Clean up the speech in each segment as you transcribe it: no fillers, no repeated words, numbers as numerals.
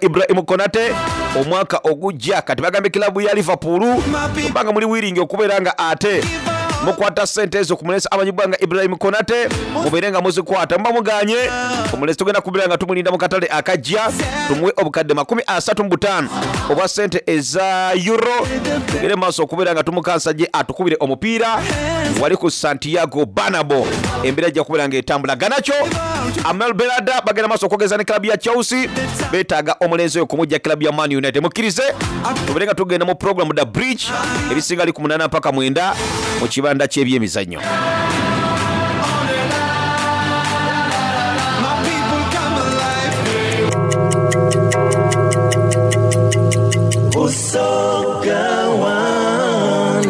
Ibrahim Konate omwaka ogujja. Kati bagambye kilabu ya Liverpool bwemba nga muli wiringi okubeera nga ate mukwata sente ezo ku mulenzi amanyibwa nga Ibrahim Konate mubeere nga muzikwata. Muba muganye omulenzi tugenda kubeera nga tumulinda mu katale akajja tumuwe obukadde 35 obwa sente eza Euro tugende mu maaso okubeera nga tumukansa gye atukubire omupiira wali ku Santiago Bernabeu. Embeera ejja kubeera nga etambula. Garnacho, Amel Berada bagenda maaso okwogeza ne club ya Chelsea, betaaga omulenzi oyo kumujja club ya Man United. Mukkirize tubeere nga tugenda mu program da bridge ebisinga ali ku munana mpaka mwenda mu kibanda ky'ebyemizannyo.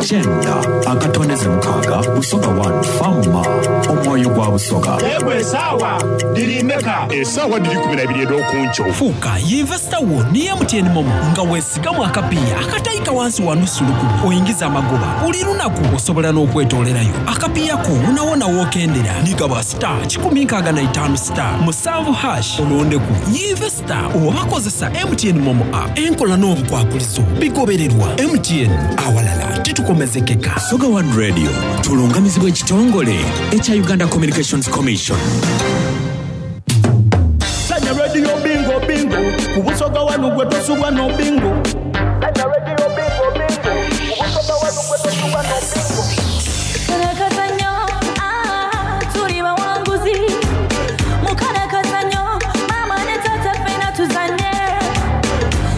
Kyenda akatondeze mukaaga Busoga One Fama omwoyo gwa Busoga. Yegwe esaawa dhiri meka? Esaawa dhiri 12 edh'okunkyo. Fuuka yinvesita wo ni MTN Momo nga wesigamu akapiiya akataika wansi wa nusu lukumi oingize amagoba buli lunaku. Osobola n'okwetoolerayo akapiiya ko wonawona w'okendera ni gaba star 165 star 7 hash olondeku yinvesita oba kozesa MTN Momo app. Enkola n'obukwakulizo bigobererwa. MTN awalala titukomezekeka. Busoga One Radio tulungamizibwa ekitongole ekya Uganda Communications Commission. Sanya radio bingo bingo ku Busoga wanu gwe tosubwa no bingo. Sanya radio bingo bingo ku Busoga wanu gwe tosubwa no bingo. Kalakazanyo, ah, tuli bawanguzi. Mukalakazanyo, mama ne tata ffena tuzanye.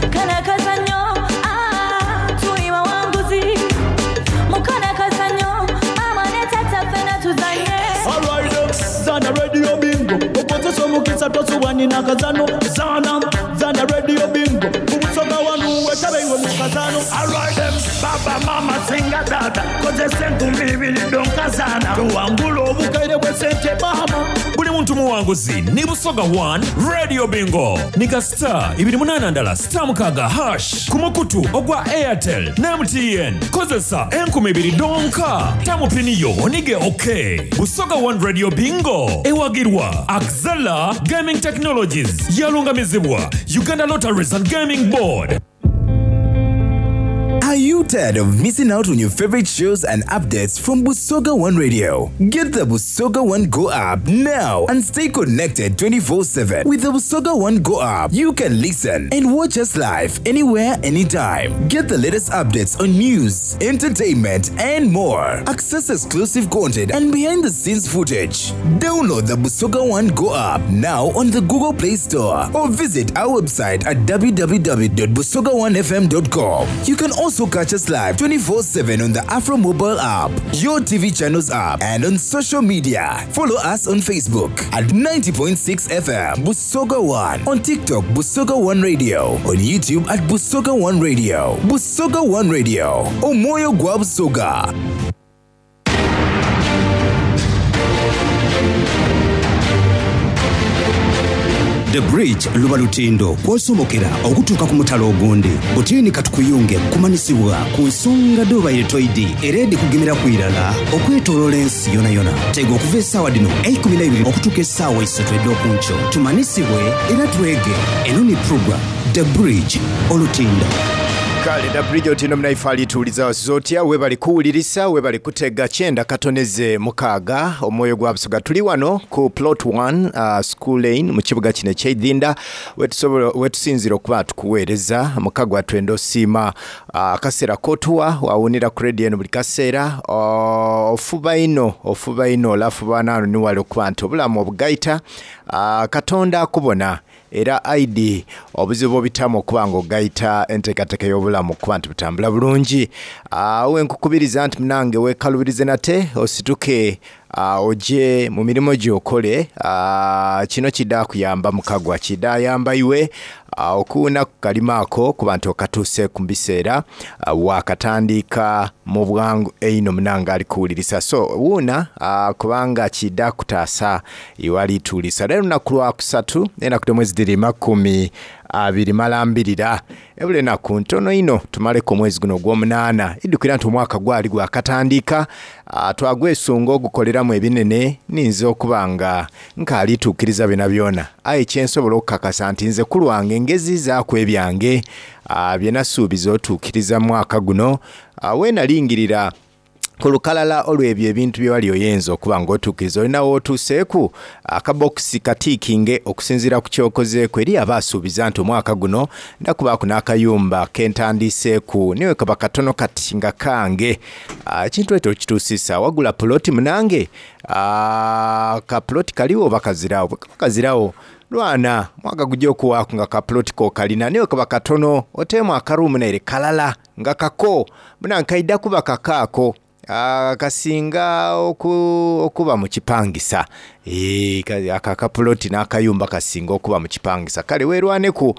Kalakazanyo, ah, tuli bawanguzi. Mukalakazanyo, mama ne tata ffena tuzanye. Alright, zana radio bingo okozesa omukisa tosubwa nina kazano. Zana zana radio bingo ku Busoga wanu wetabe iwe mu kazano. Alright, baba mama singa data kozesa enkumi ibiri donkazana tuwangula obukaire bwe sente mama. Buli muntu muwanguzi ni Busoga One Radio Bingo ni ka star ibiri munana ndala star mukaaga hash ku mukutu ogwa Airtel ne MTN. Kozesa enkumi ibiri donka tamupini yo onige okay. Busoga One Radio Bingo ewagirwa Axela Gaming Technologies, yalungamizibwa Uganda Lotteries and Gaming Board. Are you tired of missing out on your favorite shows and updates from Busoga One Radio? Get the Busoga One Go app now and stay connected 24/7. With the Busoga One Go app, you can listen and watch us live anywhere, anytime. Get the latest updates on news, entertainment, and more. Access exclusive content and behind-the-scenes footage. Download the Busoga One Go app now on the Google Play Store or visit our website at www.busoga1fm.com. You can also catch us live 24/7 on the Afro Mobile app, your TV channels app, and on social media. Follow us on Facebook at 90.6 FM Busoga One, on TikTok Busoga One Radio, on YouTube at Busoga One Radio. Busoga One Radio, Omwoyo gwa Busoga. The Bridge luba lutindo kw'osomokera okutuuka ku mutala ogundi. Butiini katukuyunge kumanisibwa ku nsonga dhobaire toidi era edhikugemera ku irala okwetoloola ensi yonayona. Tega okuva esaawa dhino eikumi n'eibiri okutuuka esaawa eisatu edh'okunkyo tumanisibwe era twege. Eno ni program The Bridge olutindo. Kale da bridge otino munaife alituwuliza wasuze otya webale kuwulirisa webale kutega kyenda katoneze mukaaga omwoyo gwa Busoga tuli wano ku plot 1 school lane mu kibuga kino ekyeidhinda wetusinzira okuba tukuweereza mukagwa twenda osiima akaseera kotuwa wawunira ku radio eno buli kaseera ofuba ino ofuba ino olafuba nano niwali okuba nti obulamu obugaita Katonda akubona era aidi obuzibu obitamu okuba nga ogaita enteekateeka y'obulamu okuba nti butambula bulungi. Awe nkukubiriza nti munange weekalubirize nate osituke oje mu mirimo gy'okole. Kino kidha kuyamba mukagwa, kidhayamba iwe okuwunaku kalimo ako kuba nti okatuuseeku mu biseera wakatandika mu bwangu einho munange ali kuwulirisa. So wuuna kubanga kidha kutaasa iwe alituulisa. Leero lunaku lwa kusatu enaku dh'omwezi dhiri makumi abiri malambirira. Ebula enaku ntono inho tumaleku omwezi guno ogw'omunaana. Idhukira nti omwaka gwali gwakatandika, twagwesunga ogukoleramu ebinene. Ninze okuba nga nkaali tuukiriza byonabyona, aye kye nsobola okukakasa nti nze ku lwange ngeziizaaku ebyange bye nasuubiza otuukiriza mu mwaka guno. Weenalingirira ku lukalala olw'ebyo ebintu bye wali oyenze okuba nga otuukiriza, olina w'otuuseeku? Akabokisi katiikinge okusinziira ku ky'okozeeku. Eriyo abaasuubiza nti omwaka guno ndha kubaaku n'akayumba ke ntandiiseeku ni bwe kaba katono kati nga kange. Ekintu ekyo okituusiisa. Wagula puloti munange? Ka puloti kaligho oba kaziragho? Bwe kaba kaziragho, lwana mwaka gugya okuwaaku nga ka puloti ko okalina ni bwe kaba katono oteemu akaruumu naire kalala. Nga kako munange kaidha kuba kako ako kasinga okuba mu kipangisa. Eeh ako akapuloti n'akayumba kasinga okuba mu kipangisa. Kale weerwaneku.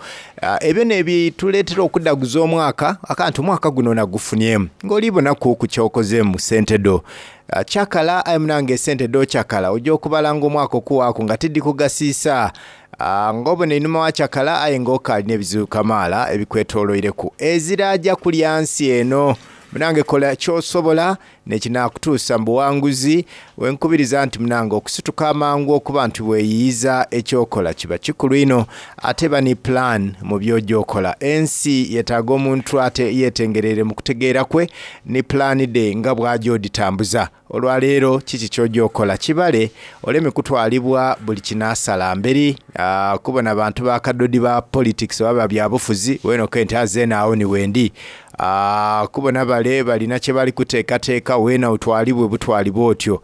Ebyo n'ebituleetera okudhaguza omwaka, aka nti omwaka guno nagufunyemu. Ng'oli bonaku ku ky'okozeemu mu sente dho. Kyakala aye munange esente dh'okyakala oja okubala nga omwaka okuwaaku nga tidhikugasiisa. Nga obona einhuma wa kyakala aye nga okaali n'ebizibu kamaala ebikwetoloireku. Ezira aja kulya nsi eno. Munange kola ky'osobola n'ekinaakutuusa mu buwanguzi. Wenkubiriza nti munange okusituka amangu okuba nti weeyiiza eky'okola kiba kikulu inho. Ate ba ni plan mu by'oja okola. Ensi yetaaga omuntu ate yetengereire mu kutegeera kwe ni plan dhe nga bw'aja odhitambuza. Olwaleero kiki ky'oja okola? Kibale oleme kutwalibwa buli kinaasala mberi kubona bantu ba kadodi ba politics oba ba byabufuzi weena okobe nti aah zeena agho ni wendi. Kubona bale balina kye bali kuteekateeka weena otwalibwe butwalibwe otyo.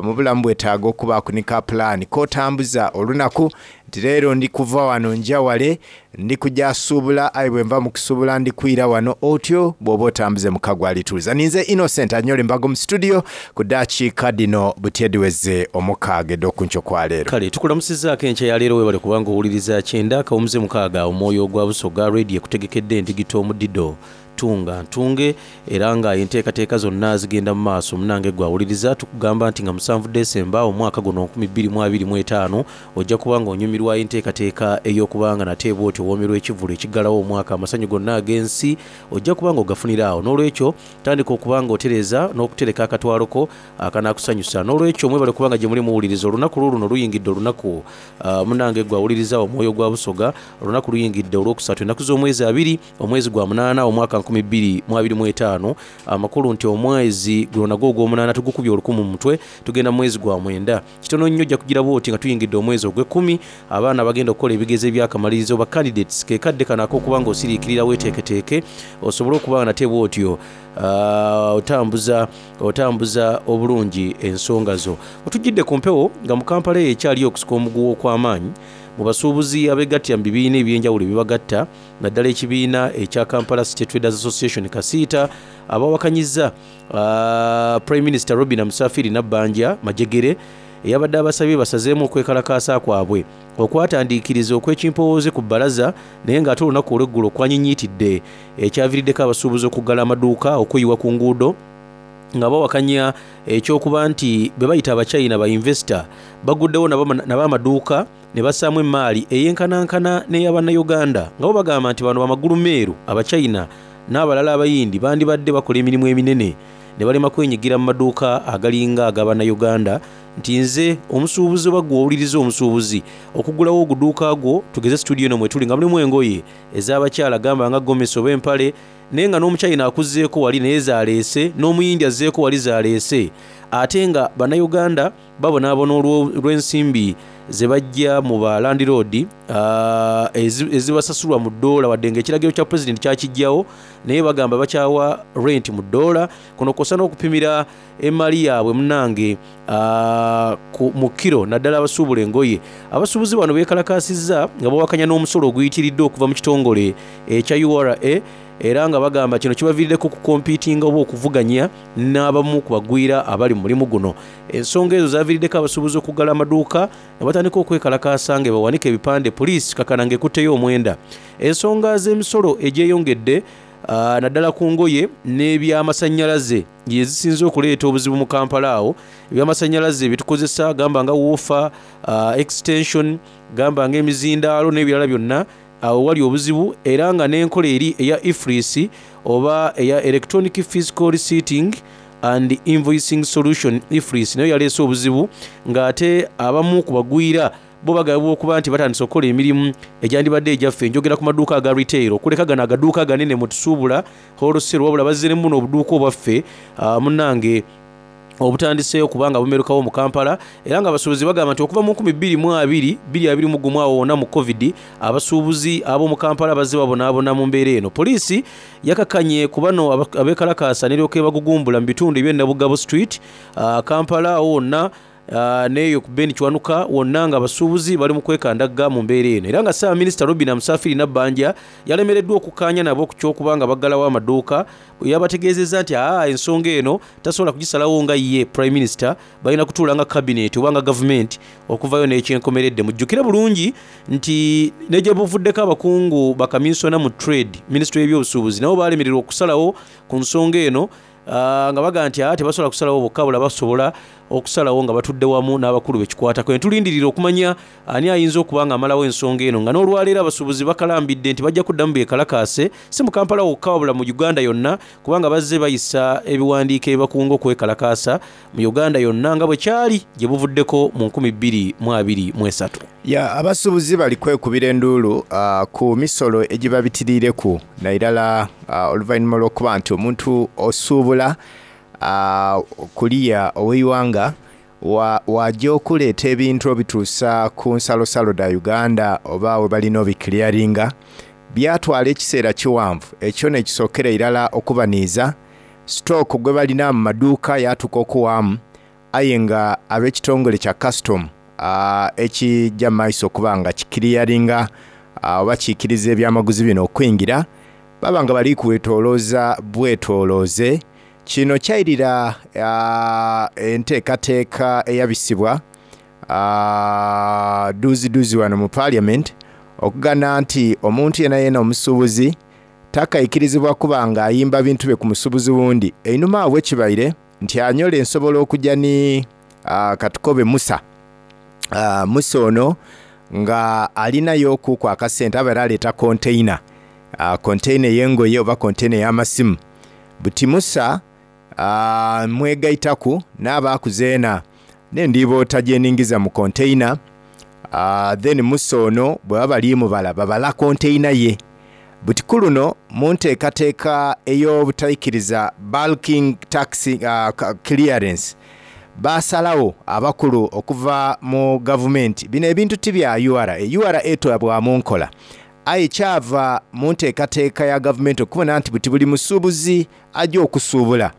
Mu bulamu bwetaaga okubaaku ni ka pulaani k'otambuza olunaku nti leero ndi kuva wano nja wale, ndi kuja suubula aye bwe nva mu kusuubula ndi kwira wano, otyo bw'oba otambuze mukago alituuza. Ninze Innocent Anyole Mbago mu situdiyo ku daakiika dhino buti edhiweze omukaaga edh'okunkyo kwa leero. Kale tukulamusizaako enkya ya leero webale kuba nga owuliriza kyenda akawumuze mukaaga omwoyo ogwa Busoga Radio ekutegekedde endigito omudido Tunga ntunge era nga enteekateeka zonna zigenda mu maaso. Munange gwe awuliriza tukugamba nti nga musanvu December omwaka guno 2025 ojja kuba nga onyumirwa enteekateeka ey'okuba nga nate bwotyo owoomerwa ekivvulu ekiggalawo omwaka amasanyu gonna ag'ensi ojja kuba nga ogafunira awo. N'olwekyo tandika okuba nga otereeza n'okutereka akatwalo ko akanaakusanyusa. N'olwekyo mwebale kuba nga gyemuli muwuliriza. Olunaku luuluno luyingidde olunaku munange gwe awuliriza Omwoyo gwa Busoga olunaku luyingidde Olwokusatu ennaku z'omwezi abiri Omwezi gwa munaana omwaka 2025, amakulu nti omwezi guno nagwo ogwomunaana tugukubye olukumu mu mutwe, tugenda mu mwezi gwa mwenda. Kitono nnyo ojja kugira bwoti nga tuyingidde omwezi ogwekumi, abaana abagenda okukola ebigezo eby'akamalirizo ba candidates ke kadde kano ak'okuba nga osiriikirira weeteeketeeke osobole okuba nga nate bwotyo otambuza otambuza obulungi ensonga zo. Wetujjidde ku mpewo nga mu Kampala eyo ekyaliyo okusika omuguwa okw'amaanyi mu basuubuzi abegattira mu bibiina eby'enjawulo ebibagatta, naddala ekibiina ekya Kampala City Traders Association Kasiita abawakanyizza Prime Minister Robinah Musafiri Nabbanja Majegere eyabadde abasabye basazeemu okwekalakaasa kwabwe okwatandiikiriza okw'ekimpowooze ku bbalaza naye ng'ate olunaku olw'eggulo kwanyinyiitidde ekyaviiriddeko abasuubuzi okuggala amaduuka okweyiwa ku nguudo nga bawakanya eky'okuba nti be bayita Abachina ba yinvesita baguddewo nabo amaduuka ne bassaamu emmaali eyenkanankana n'eya Bannayuganda nga bo bagamba nti bano bamagulu meeru Abachina n'abalala Abayindi bandibadde bakola emirimu eminene ne balema kwenyigira mu maduuka agalinga aga Bannayuganda nti nze omusuubuzi oba ggwe owuliriza omusuubuzi okugulawo oguduuka gwo tugeze situdiyo eno mwetuli nga mulimu engoye ez'abakyala gamba nga gomesi oba empale naye nga n'Omuchina akuzzeeko wali naye z'aleese n'Omuyindi azzeeko wali z'aleese ate nga Bannayuganda Babonaabona olw'ensimbi ze baggya mu ba landiroodi ezibasasulwa mu ddoola wadde ng'ekiragiro kya Pulezidenti kyakiggyawo naye bagamba bakyawa renti mu ddoola. Kuno kw'ossa n'okupimira emmaali yaabwe munnange mu kkiro naddala abasuubula engoye. Abasuubuzi bano beekalakaasizza nga bawakanya n'omusolo oguyitiridde okuva mu kitongole ekya ura era nga bagamba kino kibaviiriddeko okukompiitinga oba okuvuganya n'abamu ku bagwira abali mu mulimu guno. Ensonga ezo zaviiriddeko abasuubuzi okuggala amaduuka ne batandika okwekalakaasa nga bwebawanika ebipande poliisi kakana ng'ekutteyo omwenda. Ensonga z'emisolo egyeyongedde naddala ku ngoye n'ebyamasannyalaze y'ezisinze okuleeta obuzibu mu Kampala awo ebyamasannyalaze bye tukozesa gamba nga woofa, extension, gamba ng'emizindaalo n'ebirala byonna. Awo wali obuzibu era nga n'enkola eri eya EFRIS oba eya Electronic Fiscal Receipting and Invoicing Solution, EFRIS, nayo yaleese obuzibu nga ate abamu ku bagwira bo bagabibwa okuba nti batandise okukola emirimu egyandibadde egyaffe. Njogera ku maduuka aga retail okuleka gano agaduuka aganene mwe tusuubula wholesale wabula bazze ne mu buno obuduuka obwaffe munnange obutandiseeyo okuba nga bumerukawo mu Kampala era nga abasuubuzi bagamba nti okuva mu 2020, 2021 awo wonna mu Covid, abasuubuzi ab'omu Kampala bazze babonaabona mu mbeera eno. Poliisi yakakanye ku bano abeekalakaasa n'eryoka ebagugumbula mu bitundu eby'e Nabugabo Street, Kampala awo wonna n'eyo ku Ben Kiwanuka wonna nga abasuubuzi bali mu kwekandagga mu mbeera eno era nga Ssaabaminisita Robinah Musafiri Nabbanja yalemereddwa okukkaanya nabo ku ky'okuba nga baggalawo amaduuka bwe yabategeezezza nti aa ensonga eno tasobola kugisalawo nga ye Prime Minister balina kutuula nga Cabinet oba nga Gavumenti okuvaayo n'ekyenkomeredde. Mujjukire bulungi nti ne gye buvuddeko abakungu bakaminsona mu Trade, Minisitule y'ebyobusuubuzi nabo baalemererwa okusalawo ku nsonga eno nga bagamba nti aa tebasobola kusalawo bokka wabula basobola okusalawo nga batudde wamu n'abakulu be kikwatako. Ne tulindirira okumanya ani ayinza okuba ng'amalawo ensonga eno nga n'olwaleero abasuubuzi bakalambidde nti bajja kuddamu beekalakaase si mu Kampala wokka wabula mu Uganda yonna kubanga bazze bayisa ebiwandiiko ebibakunga okwekalakaasa mu Uganda yonna nga bwe kyali gye buvuddeko mu 2023. Ya abasuubuzi bali kwekubira enduulu ku misolo egibabitiriireku nairala oluvainhuma olw'okuba nti omuntu osuubula kuliya ow'eighanga waja okuleeta ebintu obituusa ku nsalosalo dha Uganda oba webalina obikiliyaringa byatwala ekiseera kiwanvu ekyo nekisookera irala okubaniiza sitooko gwebalina mu maduuka yatuuka okuwaamu aye nga ab'ekitongole kya kasitomu ekija mu maiso okuba nga kikiliyaringa oba kiikiriza ebyamaguzi bino okwingira baba nga bali kwetolooza bwetolooze. Kino kyairira enteekateeka eyabisibwa duuziduuzi wano mu Parliament okugana nti omuntu yenayena omusuubuzi takaikirizibwa kuba nga ayimba bintu bye ku musuubuzi wundi. Einhuma agho bwekibaire nti anyole nsobola okuja ni katukobe Musa. Musa ono nga alinayo kuku akasente abaire aleeta container, container ey'engoye oba container ey'amasimu. Buti Musa mwegaitaku n'abaaku zeena n'endiiboota gye ningiza mu container. Then Musa ono bwe baba bali mubala babala container ye. Buti ku luno mu nteekateeka ey'obutaikiriza bulking tax clearance, baasalagho abakulu okuva mu gavumenti bino ebintu ti bya ura, ura etwabwamu nkola. Aye kyava mu nteekateeka ya gavumenti okubona nti buti buli musuubuzi aja okusuubula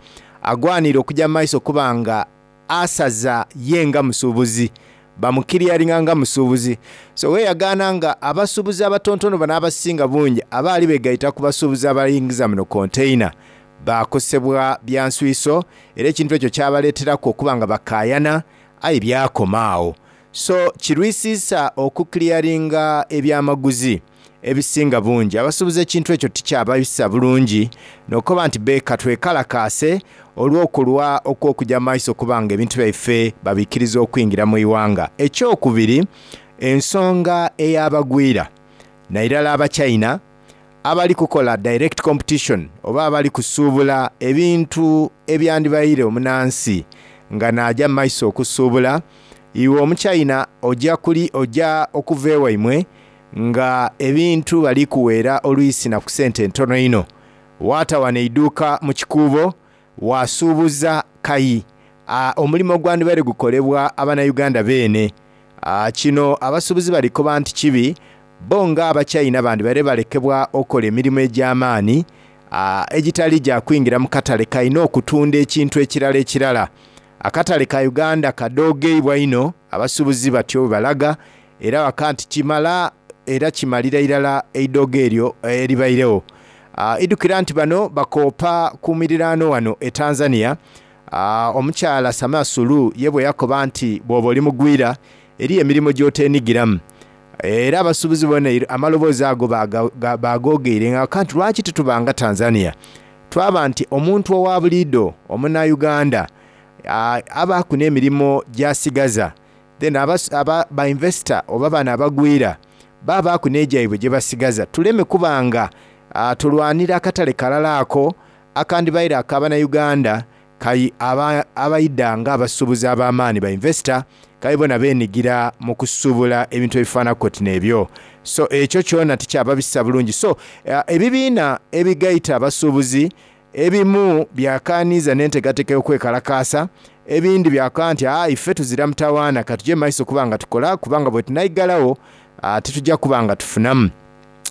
agwanire okuja mu maiso okuba nga asaza ye nga musuubuzi, bamukiriyaringa nga musuubuzi. So weeyagaana nga abasuubuzi abatontono bano abasinga bungi abaali begaita ku basuubuzi abayingiza muno container baakosebwa bya nswiso era ekintu ekyo kyabaleeteraku okuba nga bakaayana aye byakoma agho. So kirwisiisa okukiliyaringa ebyamaguzi ebisinga bungi. Abasuubuzi ekintu ekyo tikyabaisa bulungi n'okukoba nti be katwekalakaase olw'okulwa okw'okuja mu maiso okuba nga ebintu byaife babiikiriza okwingira mu ighanga. Ekyokubiri, ensonga ey'abagwira nairala Abachina abali kukola direct competition oba abali kusuubula ebintu ebyandibaire omunansi nga naaja mu maiso okusuubula. Iwe Omuchina oja kuli oja okuva ewaimwe nga ebintu bali kuweera olwisi na ku sente ntono inho. Waata wano eiduuka mu kikuubo waasuubuza kayi omulimo ogwandibaire gukolebwa Abanauganda beene. Kino abasuubuzi bali koba nti kibi bo nga Abachina bandibaire balekebwa okola emirimo egy'amaani egitali gya kwingira mu katale kalina okutunda ekintu ekirala ekirala. Akatale ka Uganda kadoogeibwa inho abasuubuzi batyo bwe balaga era baka nti kimala era kimalira irala eidoogo eryo eribairegho. Idhukira nti bano bakoopa ku miriraano wano e Tanzania. Omukyala Samia Suluhu ye bwe yakoba nti bw'oba oli mugwira eriyo emirimo gy'oteenigiramu. Era abasuubuzi bona amaloboozi ago baagoogeire nga baka nti lwaki titubanga Tanzania? Twaba nti omuntu owa buliidho Omunauganda abaaku n'emirimo gy'asigaza then ba investor oba bano abagwira Babaaku n'egyaibwe gye basigaza tuleme kuba nga tulwanira akatale kalala ako akandibaire aka Bannayuganda kai abaidha nga abasuubuzi ab'amaani ba investor kai bona benigira mu kusuubula ebintu ebifaanaku oti n'ebyo. So ekyo kyona tikyababisa bulungi. So ebibiina ebigaita abasuubuzi ebimu byakaaniiza n'enteekateeka y'okwekalakaasa, ebindi byakoba nti aa ife tuzira mutawaana katuje mu maiso okuba nga tukola kubanga bwetunaigalagho titujja kuba nga tufunamu.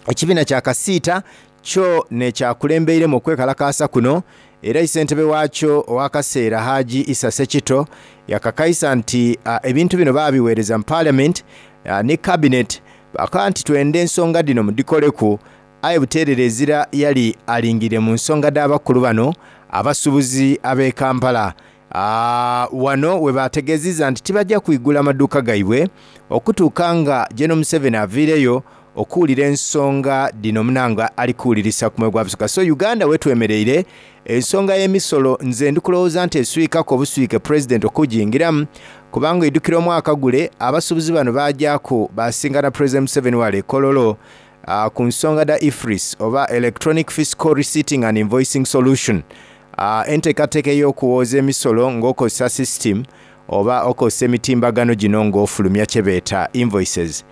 Ekibiina kya Kasiita kyo n'ekyakulembeiremu okwekalakaasa kuno era Isentebe waakyo ow'akaseera Haji Issa Ssekito yakakaisa nti ebintu bino baabiweereza mu Parliament ni Cabinet bakoba nti twenda ensonga dhino mudhikoleku aye buteerere ezira yali alingiriire mu nsonga dh'abakulu bano abasuubuzi ab'e Kampala. Wano webategeziza nti tibajja kwigula maduuka gaibwe okutuuka nga General Museveni aviireyo okuwulira ensonga dhino munange ali kuwulirisa ku mwoyo gwa Busoga. So Uganda wetwemereire ensonga y'emisolo nze ndi kulowooza nti eswikaku obuswike Pulezidenti okugingiramu kubanga oidhukira omwaka gule abasuubuzi bano baagyaku baasingana Pulezidenti Museveni wale e Kololo ku nsonga dha EFRIS oba Electronic Fiscal Receipting and Invoicing Solution, enteekateeka ey'okuwooza emisolo ng'okozesa system oba okozesa emitimbagano gino ng'ofulumya kyebeeta invoices.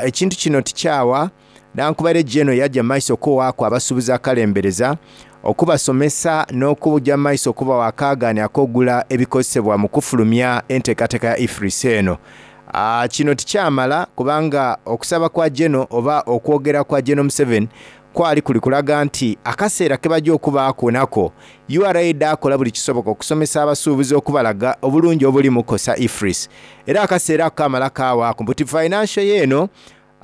Ekintu kino tikyawa nankubale General yaja mu maiso okuwaaku abasuubuzi akalembereza, okubasomesa n'okuja mu maiso okubawa akaagaani ak'ogula ebikozesebwa mu kufulumya enteekateeka ya EFRIS eno. Kino tikyamala kubanga okusaba kwa General oba okwogera kwa General Museveni kwali kuli kulaga nti akaseera kebaja okubaaku nako URA dhaakola buli kisoboka okusomesa abasuubuzi okubalaga obulungi obuli mu kukozesa EFRIS era akaseera ako kaamala kaawaaku buti financial year eno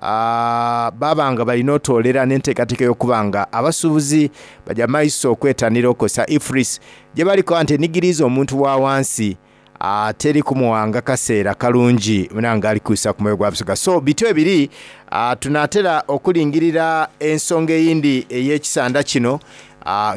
baaba nga balina otoolera n'enteekateeka ey'okuba nga abasuubuzi baja maiso okwetanira okukozesa EFRIS gyebali kuba nti enigiriiza omuntu wa wansi teri kumuwanga kaseera kalungi munange ali kwisa ku mwoyo gwa Busoga. So bityo ebiri tunaatera okulingirira ensonga eyindi ey'ekisanda kino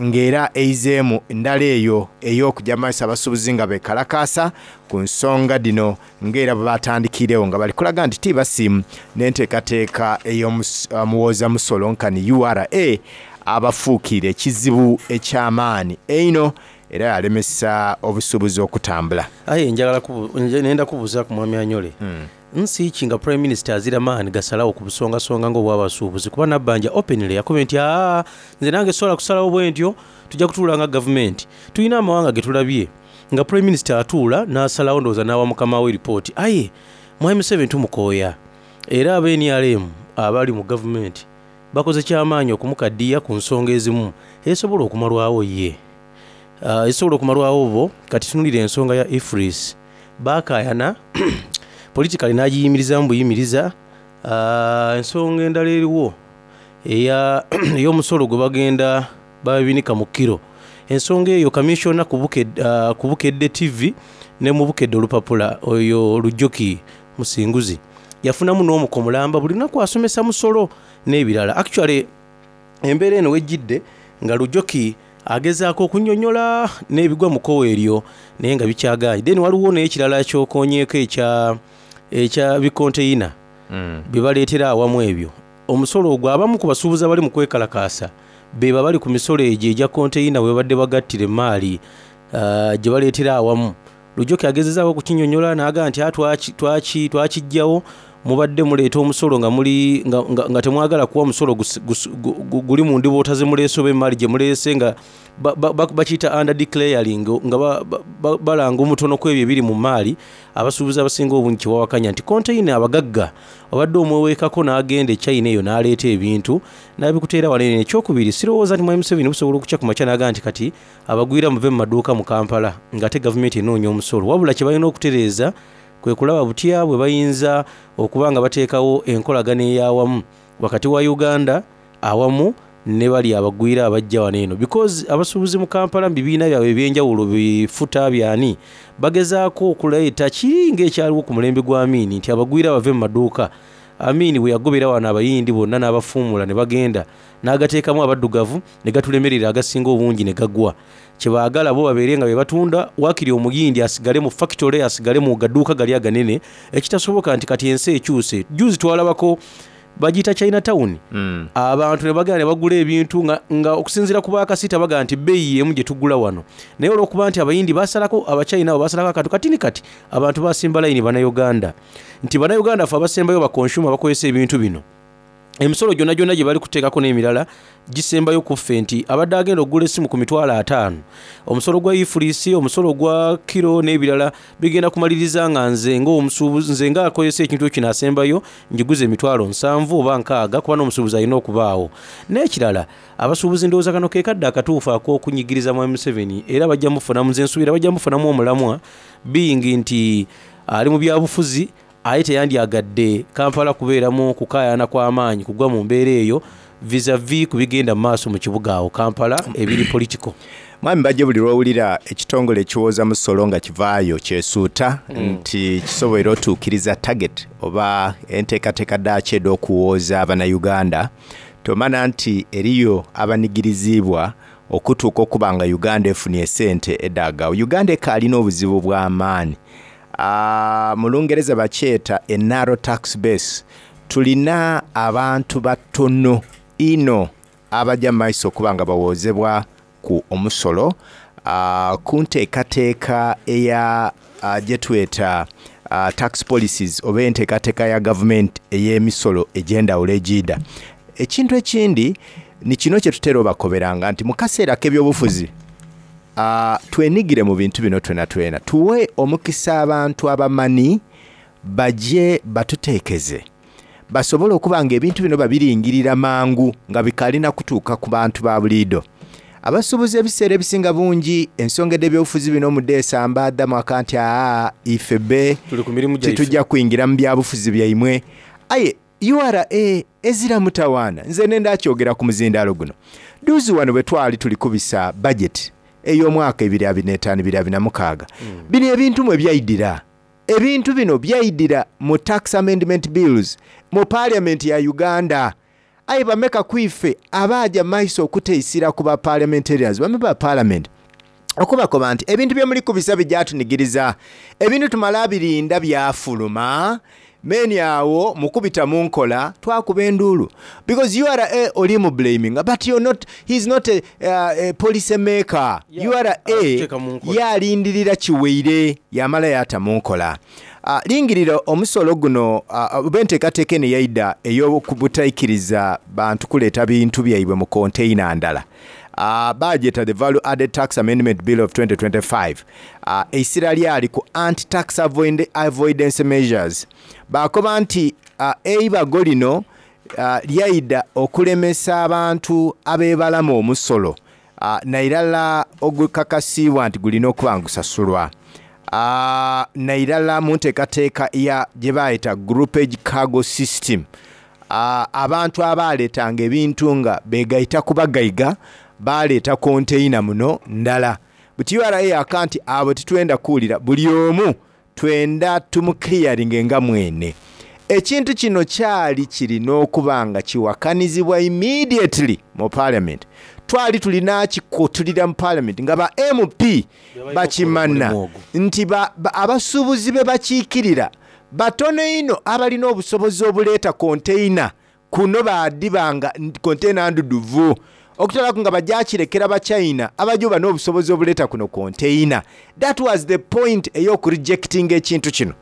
ng'era eizeemu ndala eyo ey'okuja maiso abasuubuzi nga bekalakaasa ku nsonga dhino ng'era bwe batandikiiregho nga bali kulaga nti tibasiimu n'enteekateeka ey'omuwooza musolo nkani URA abafuukiire ekizibu eky'amaani einho era yalemesa obusuubuzi okutambula. Aye njagala kubu, nje nenda kubuuzaaku Mwami Anyole. Nsi ki nga Prime Minister azira maani gasalagho ku busongasonga nga obw'abasuubuzi kuba Nabbanja openly yakobye nti aa nze nange sisobola kusalagho bwentyo, tuja kutuula nga gavumenti. Tulina amawanga getulabye nga Prime Minister atuula n'asalagho ndowooza n'awa mukama we lipooti aye Mwami Museveni tumukooya era aba nrm abali mu gavumenti bakoze kyamaanyi okumukaddiya ku nsonga ezimu ezisobola okumalwagho ye. Ezisobola okumalwagho bo kati tunulira ensonga ya EFRIS baakayana politically n'agiyimirizaamu buyimiriza. Ensonga endala eriwo eya ey'omusolo gwe bagenda babinika mu kiro. Ensonga eyo Kamissiona ku Bukedde TV ne mu Bukedde Olupapula oyo Lujoki Musinguzi yafunamu n'omuko mulamba buli lunaku asomesa musolo n'ebirala. Actually embeera eno wejjidde nga Lujoki agezaaku okunyonyola n'ebigwa mu kkowe eryo naye nga bikyagaanye. Then waliwo n'ekirala ky'okonyeeko ekya ekya bikonteyina bye baleetera awamu ebyo. Omusolo ogwo abamu ku basuubuzi abali mu kwekalakaasa beebo abali ku misolo egyo egya konteyina bwe babadde bagattira emaali gye baleetera awamu. Lujoki agezezaako okukinyonyola n'agamba nti twaki twakiggyawo mubadde muleeta omusolo nga muli nga, nga, nga temwagala kuwa musolo guli mu ndiboota ze muleese oba emaali gye muleese nga bakiyita ba, ba, under declaring nga balanga ba, ba omutono ku ebyo ebiri mu maali. Abasuubuzi abasinga obungi kye bawakanya nti konteyina abagagga obadde omweweekako n'agenda e China eyo n'aleeta ebintu n'abikuteera wano eno. Ekyokubiri, sirowooza nti Mwami Museveni busobola okukya ku makya n'agamba nti kati abagwira muve mu maduuka mu Kampala ng'ate gavumenti enoonya omusolo wabula kye balina okutereeza kwe kulaba butya bwe bayinza okuba nga bateekawo enkolagana ey'awamu wakati wa Uganda awamu ne bali abagwira abajja wano eno because abasuubuzi mu Kampala mu bibiina byabwe eby'enjawulo bi futa byani bagezaako okuleeta kiri ng'ekyaliwo ku mulembe gwa Amin nti abagwira bave mu maduuka. Amin bwe yagobera wano Abayindi bonna n'abafuumula ne bagenda n'agateekamu abaddugavu ne gatulemerera agasinga obungi ne gagwa. Kye baagala bo babeere nga be batunda waakiri Omuyindi asigale mu fakitole asigale mu gaduuka gali aganene ekitasoboka nti kati ensi ekyuse. Jjuuzi twalabako Bagiyita China Town. Abantu ne bagenda ne bagula ebintu nga, nga okusinziira ku ba kasiita bagamba nti bbeeyi y'emu gye tugula wano. Naye olw'okuba nti Abayindi baasalako, Abachina abo baasalako akantu katini kati, abantu baasimba layini Bannayuganda. Nti Bannayuganda ffe abasembayo ba consumer abakozesa ebintu bino. Emisolo gyonagyona gye bali kuteekako n'emirala gisembayo ku ffe nti abadde agenda okugula essimu ku mitwalo ataano, omusolo gwa EFRIS, omusolo gwa kiro n'ebirala bigenda kumaliriza nga nze ng'omusuubuzi, nze ng'akozesa ekintu kino asembayo ngiguze emitwalo nsanvu oba nkaaga kuba n'omusuubuzi alina okubaawo. N'ekirala abasuubuzi ndowooza kano ke kadde akatuufu ak'okunyigiriza Mwami Museveni era bajja mufunamu, nze nsuubira bajja mufunamu omulamwa being nti ali mu byabufuzi Aye teyandyagadde Kampala kubeeramu kukaayana kwa maanyi kugwa mu mbeera eyo vis-a-vis ku bigenda mu maaso mu kibuga awo Kampala ebiri political. Mwami Bajjo buli lw'owulira ekitongole ekiwooza musolo nga kivaayo kyesuuta nti kisoboire otuukiriza target oba enteekateeka dhaakyo edh'okuwooza Abanayuganda, tomana nti eriyo abanigiriziibwa okutuuka okuba nga Uganda efunie esente edhaagagho. Uganda ekaali n'obuzibu bw'amaani. Mu Lungereza bakyeta a narrow tax base. Tulina abantu batono inho abaja mu maiso okuba nga bawoozebwa ku omusolo ku nteekateeka eya gyetweta tax policies oba enteekateeka ya gavumenti ey'emisolo egy'endhawulo egiidha. Ekintu ekindi ni kino kyetutera obakoberanga nti mu kaseera ak'ebyobufuzi, Twenigire mu bintu bino twenatwena, tuwe omukisa abantu abamani baje batuteekeze, basobole okuba nga ebintu bino babiringirira mangu nga bikaali na kutuuka ku bantu ba buliidho. Abasuubuzi ebiseera ebisinga bungi ensonga edh'ebyobufuzi bino mudheesamba dhamwaka nti aa ife be Tuli ku mirimu gyaife. tituja kwingira mu byabufuzi byaimwe. Aye Ura ezira mutawaana. Nze nenda kyogera ku muzindaalo guno. Dhuuzi wano bwe twali tuli kubisa bajeti ey'omwaka ebiri abiri n'etaanu ebiri abiri na mukaaga, bino ebintu mwe byaidhira. Ebintu bino byaidhira mu Tax Amendment Bills mu Parliament ya Uganda. Aye bameka ku ife abaaja mu maiso okuteisira ku ba Parliamentarians, ba Member ba Parliament, okubakoba nti ebintu bye muli kubisa bijatunigiriza. Ebintu tumala birinda byafuluma, Meni awo mukubita munkola twakuba enduulu because ura oli mu blaminga but you're not, he's not a, a policy maker. Ura ye alindirira kiweire yamala yata munkola. Lingirira omusolo guno oba enteekateeka eno eyaida ey'obutaikiriza bantu kuleeta bintu byaibwe mu container ndala. Baagyeta the Value Added Tax Amendment Bill of 2025. Eisira lyali ku anti-tax avoidance measures. Baakoba nti eibago lino lyaidha okulemesa abantu abeebalama omusolo nairala ogukakasiibwa nti gulina okuba nga gusasulwa nairala mu nteekateeka ya gyebaayeta Groupage Cargo System. Abantu abaaletanga ebintu nga begaita ku bagaiga baaleeta konteina muno ndala. Buti ura yaka nti abo titwenda kuwulira buli omu twenda tumuclearinge nga mwene. Ekintu kino kyali kiri n'okuba nga kiwakanizibwa immediately mu parliament. Twali tulina kikutulira mu parliament nga ba MP bakimana nti abasuubuzi be bakiikirira batono inho abalina obusobozi obuleeta konteina kuno baadhiba nga konteina ndhudhuvu okutolaku nga baja kirekera Bachina abaja oba n'obusobozi obuleeta kuno konteina. That was the point ey'okurejectinga ekintu kino.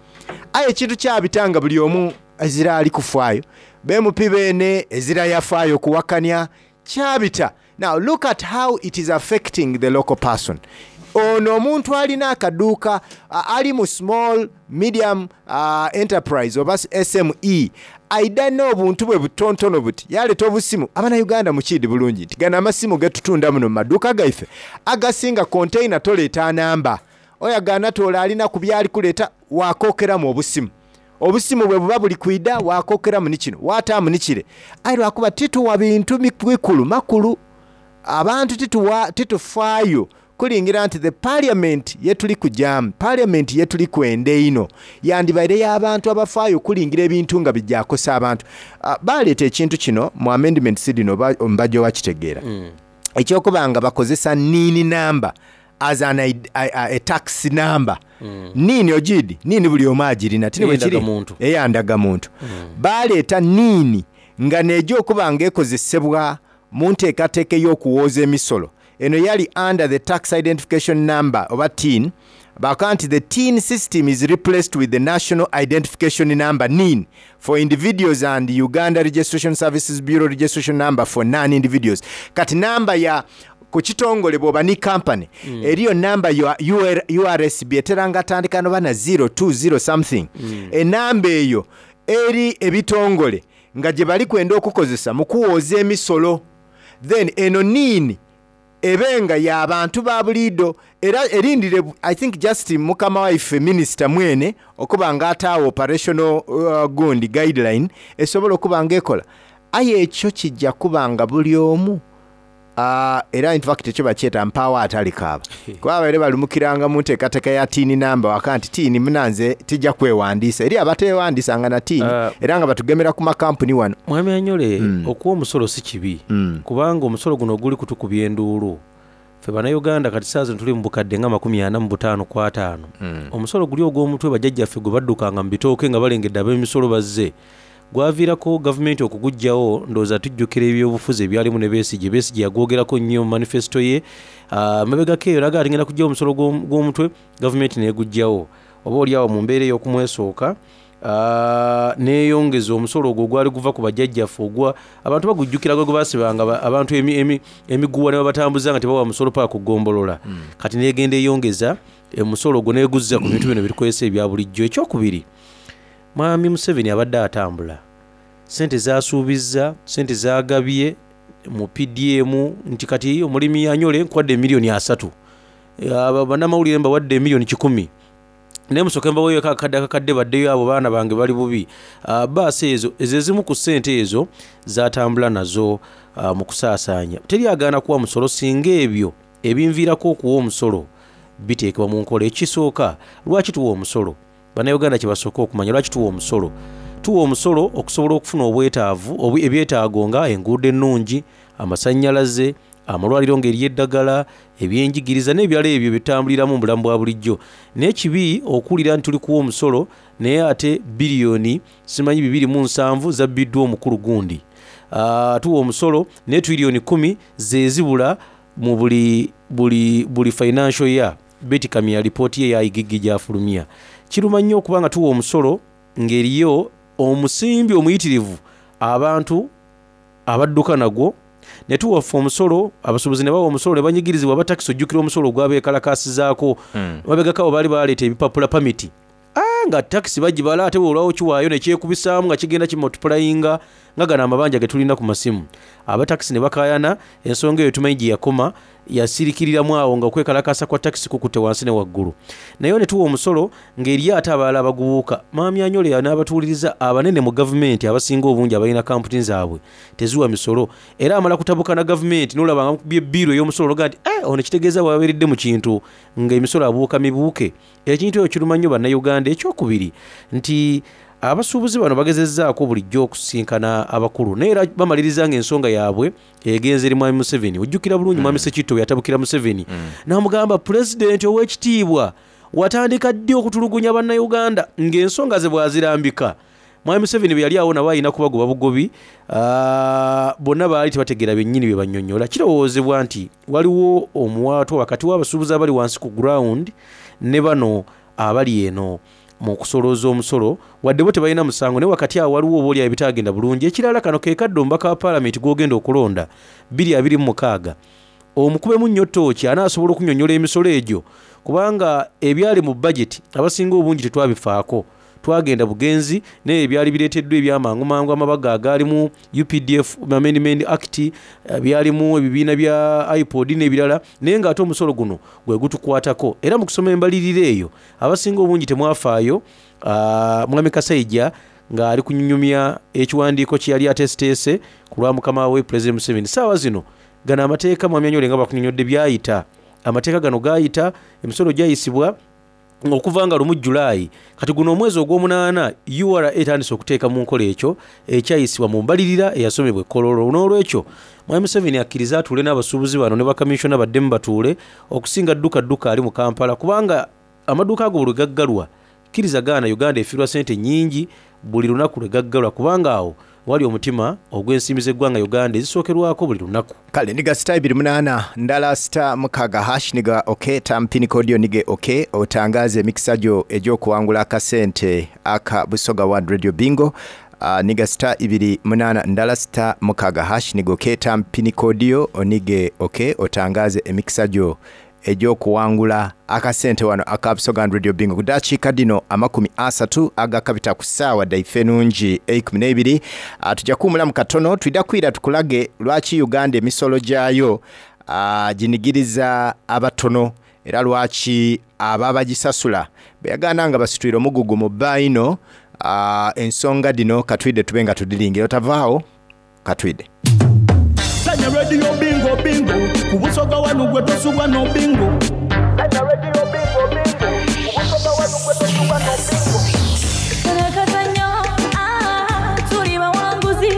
Aye ekintu kyabita nga buli omu ezira ali kufaayo. Ba MP beene ezira yafaayo kuwakania. Kyabita. Now look at how it is affecting the local person. Ono omuntu alina akaduuka ali mu small medium enterprise oba SME aidha n'obuntu bwe butontono buti yaleeta obusimu. Abanauganda mukiidhi bulungi nti gano amasimu getutunda muno mu maduuka gaife agasinga container toleeta namba. Oyagaana toole alina ku byali kuleeta wakokeramu obusimu. Obusimu bwe buba buli kwidha wakokeramu ni kino wataamu ni kire. Aye lwakuba tituwa bintu bikulu makulu abantu tituwa titufaayo kulingira nti the parliament yetuli kujaamu, parliament yetuli kwenda einho yandibaire y'abantu abafaayo okulingira ebintu nga bija kosa abantu. Baleeta ekintu kino mu amendments dhino oba mbaja wakitegeera eky'okuba nga bakozesa NIN number as an a tax number. NIN ogiidhi? NIN buli omu agirina, ti ni bwe kiri? Ey'endagamuntu. Baleeta NIN. Nga neeja okuba nga ekozesebwa mu nteekateeka ey'okuwooza emisolo. Eno yali under the Tax Identification Number oba tin. Bakoba nti the tin system is replaced with the National Identification Number, nin, for individuals and Uganda Registration Services Bureau Registration Number for non-individuals. Kati namba ya ku kitongole bw'oba ni kampani eriyo namba ya URSB etera nga tandika noba na 020 something. Enamba eyo eri ebitongole nga gye bali kwenda okukozesa mu kuwooza emisolo. Then eno nin ebe nga ya bantu ba buliido era erindire I think just mukama waife minisita mwene okuba nga ataawo operational gundi guideline esobola okuba nga ekola. Aye ekyo kijja kuba nga buli omu era in fact ekyo bakyeta mpaawo atalikaaba. Kuba babaire balumukiranga mu nteekateeka ya tin number waka nti tin munanze tijja kwewandiisa. Eri abateewandiisanga na tin era nga batugemera ku makampuni wano. Mwami Anyole, okuwa omusolo si kibi kubanga omusolo guno oguli kutukubya enduulu. Ffe Bannayuganda kati ssaawa zino tuli mu bukadde nga 45 ku ataano. Omusolo guli ogw'omutwe bajjajjaffe gwe baddukanga mu bitooke nga balengedde ab'emisolo bazze. Gwaviirako gavumenti okuguggyawo, ndowooza tujjukira ebyobufuzi ebyalimu ne Besigye. Besigye yagwogerako nnyo mu manifesito ye. Mabegako eyo n'agamba ati ngenda kuggyawo omusolo gw'omutwe, gavumenti n'eguggyawo. Oba oli awo mu mbeera ey'okumwesooka, n'eyongeza omusolo ogwo ogwali guva ku bajjajjaffe ogwa abantu bagujjukira gwe baasibanga abantu emiguwa ne babatambuza nga tebawa musolo paka ku ggombolola. Kati n'egenda eyongeza omusolo ogwo n'eguzza ku bintu bino byetukozesa ebya bulijjo. Ekyokubiri, Mwami Museveni abadde atambula, ssente z'asuubizza, ssente z'agabye mu PDM nti kati omulimi anyole nkuwadde emiliyoni 30, bannamawulire mbawadde emiliyoni 100, naye musooke mbaweeyo akakadde akakadde baddeyo abo baana bange bali bubi. Bbaasi ezo, ezo ezimu ku ssente ezo z'atambula nazo mu kusaasaanya. Teri agaana kuwa musolo singa ebyo ebinviirako okuwa omusolo biteekebwa mu nkola. Ekisooka, lwaki tuwa omusolo? Bannayuganda kye basooka okumanya, lwaki tuwa omusolo? Tuwa omusolo okusobola okufuna obwetaavu, ebyetaago nga enguudo ennungi, amasannyalaze, amalwaliro ng'eriyo eddagala, ebyenjigiriza n'ebirala ebyo bye tutambuliramu mu bulamu bwa bulijjo. Naye kibi okuwulira nti tuli kuwa omusolo naye ate biliyoni simanyi 207 zabbiddwa omukulu gundi. Tuwa omusolo naye tiriyoni 10 ze zibula mu buli financial year. Beti Kamya lipooti ye ya IGG gy'afulumya. Kiruma nnyo okuba nga tuwa omusolo ng'eriyo omusimbi omuyitirivu abantu abadduka nagwo, ne tuwa ffe omusolo, abasuubuzi ne bawa omusolo ne banyigirizibwa aba takisi. Ojjukira omusolo ogwabeekalakaasizaako mabegako abo baali baleeta ebipapula pamiti, nga takisi bagibala ate bw'olwawo kiwaayo ne kyekubisaamu nga kigenda kimultiplyinga nga gano amabanja ge tulina ku masimu. Abatakisi ne bakaayana, ensonga eyo tumanyi gye yakoma, yasirikiriramu awo nga okwekalakaasa kwa takisi kukutte wansi ne waggulu. Naye ne tuwa omusolo ng'eriyo ate abalala abagubuuka. Mwami Anyole n'abatuwuliriza abanene mu gavumenti abasinga obungi abalina kampuni zaabwe teziwa misolo, era amala kutabuka na gavumenti n'olaba nga mukubye bbiiru ey'omusolo n'ogamba nti, ono kitegeeza bw'abeeredde mu kintu ng'emisolo abuuka mibuuke. Ekintu ekyo kiruma nnyo Bannayuganda. Ekyokubiri nti abasuubuzi bano bagezezzaako bulijjo okusisinkana abakulu naye era bamaliriza ng'ensonga yaabwe egenze eri Mwami Museveni. Ojjukira bulungi Mwami Ssekitto bwe yatabukira Museveni n'amugamba, Pulezidenti ow'ekitiibwa, watandika ddi okutulugunya Bannayuganda? Ng'ensonga ze bw'azirambika. Mwami Museveni bwe yali awo nabo alina kubagoba bugobi, bonna baali tebategeera byennyini bye bannyonnyola. Kirowoozebwa nti waliwo omuwaatwa wakati w'abasuubuzi abali wansi ku ground ne bano abali eno mu kusolooza omusolo, wadde bo tebalina musango, naye wakati awo waliwo oba oli awo ebitaagenda bulungi. Ekirala, kano ke kadde omubaka wa Paalamenti gw'ogenda okulonda 2026 omukubemu nnyo ttooki anaasobola okunnyonnyola emisolo egyo, kubanga ebyali mu bajeti abasinga obungi tetwabifaako. Twagenda bugenzi naye ebyali bireeteddwa ebyamangumangu, amabaga agaalimu UPDF Amendment Act, byalimu ebibiina bya IPOD n'ebirala, naye ng'ate omusolo guno gwe gutukwatako. Era mu kusoma embalirira eyo abasinga obungi temwafaayo. Mwami Kasaija ng'ali kunyumya ekiwandiiko kye yali ateeseteese ku lwa mukama we Pulezidenti Museveni. Ssaawa zino gano amateeka, Mwami Anyole nga bwakunyonnyodde, byayita. Amateeka gano gaayita, emisolo gyayisibwa okuva nga lumu Julaayi. Kati guno omwezi ogw'omunaana URA etandise okuteeka mu nkola ekyo ekyayisibwa mu mbalirira eyasomebwa e Kololo. N'olwekyo Mwami Museveni akkirize atuule n'abasuubuzi bano ne bakaminsona baddemu batuule okusinga dduka dduka ali mu Kampala, kubanga amaduuka ago buli lwe gaggalwa, kkiriza gaana, Uganda efiirwa ssente nnyingi buli lunaku lwe gaggalwa, kubanga awo Owali omutima ogw'ensimbi z'eggwanga Uganda ezisookerwako buli lunaku. Kale niga star ibiri munaana ndala star mukaaga hash niga ok ta mpini code yo nige ok otangaze emikisa gyo egy'okuwangula akasente aka Busoga One Radio Bingo. Niga star ibiri munaana ndala star mukaaga hash niga ok ta mpini code yo onige ok otangaze emikisa gyo egy'okuwangula akasente wano aka Busoga One Radio Bingo. Ku dakiika dhino 30 agakabita ku saawa dhaife enungi eikumi n'eibiri, tuja kuwumulamu katono twidha kwira tukulage lwaki Uganda emisolo gyayo ginigiriza abatono era lwaki abo abagisasula beyagaana nga basitwire omugugu mu bba inho. Ensonga dhino katwidhe tube nga tudhiringira. Otavaagho, katwidhe. Zanya Radio Bingo Bingo ku Busoga wanu gwe tosubwa no bingo. Zanya Radio Bingo Bingo ku Busoga wanu gwe tosubwa no bingo. Kano akazannyo, ah, tuli bawanguzi.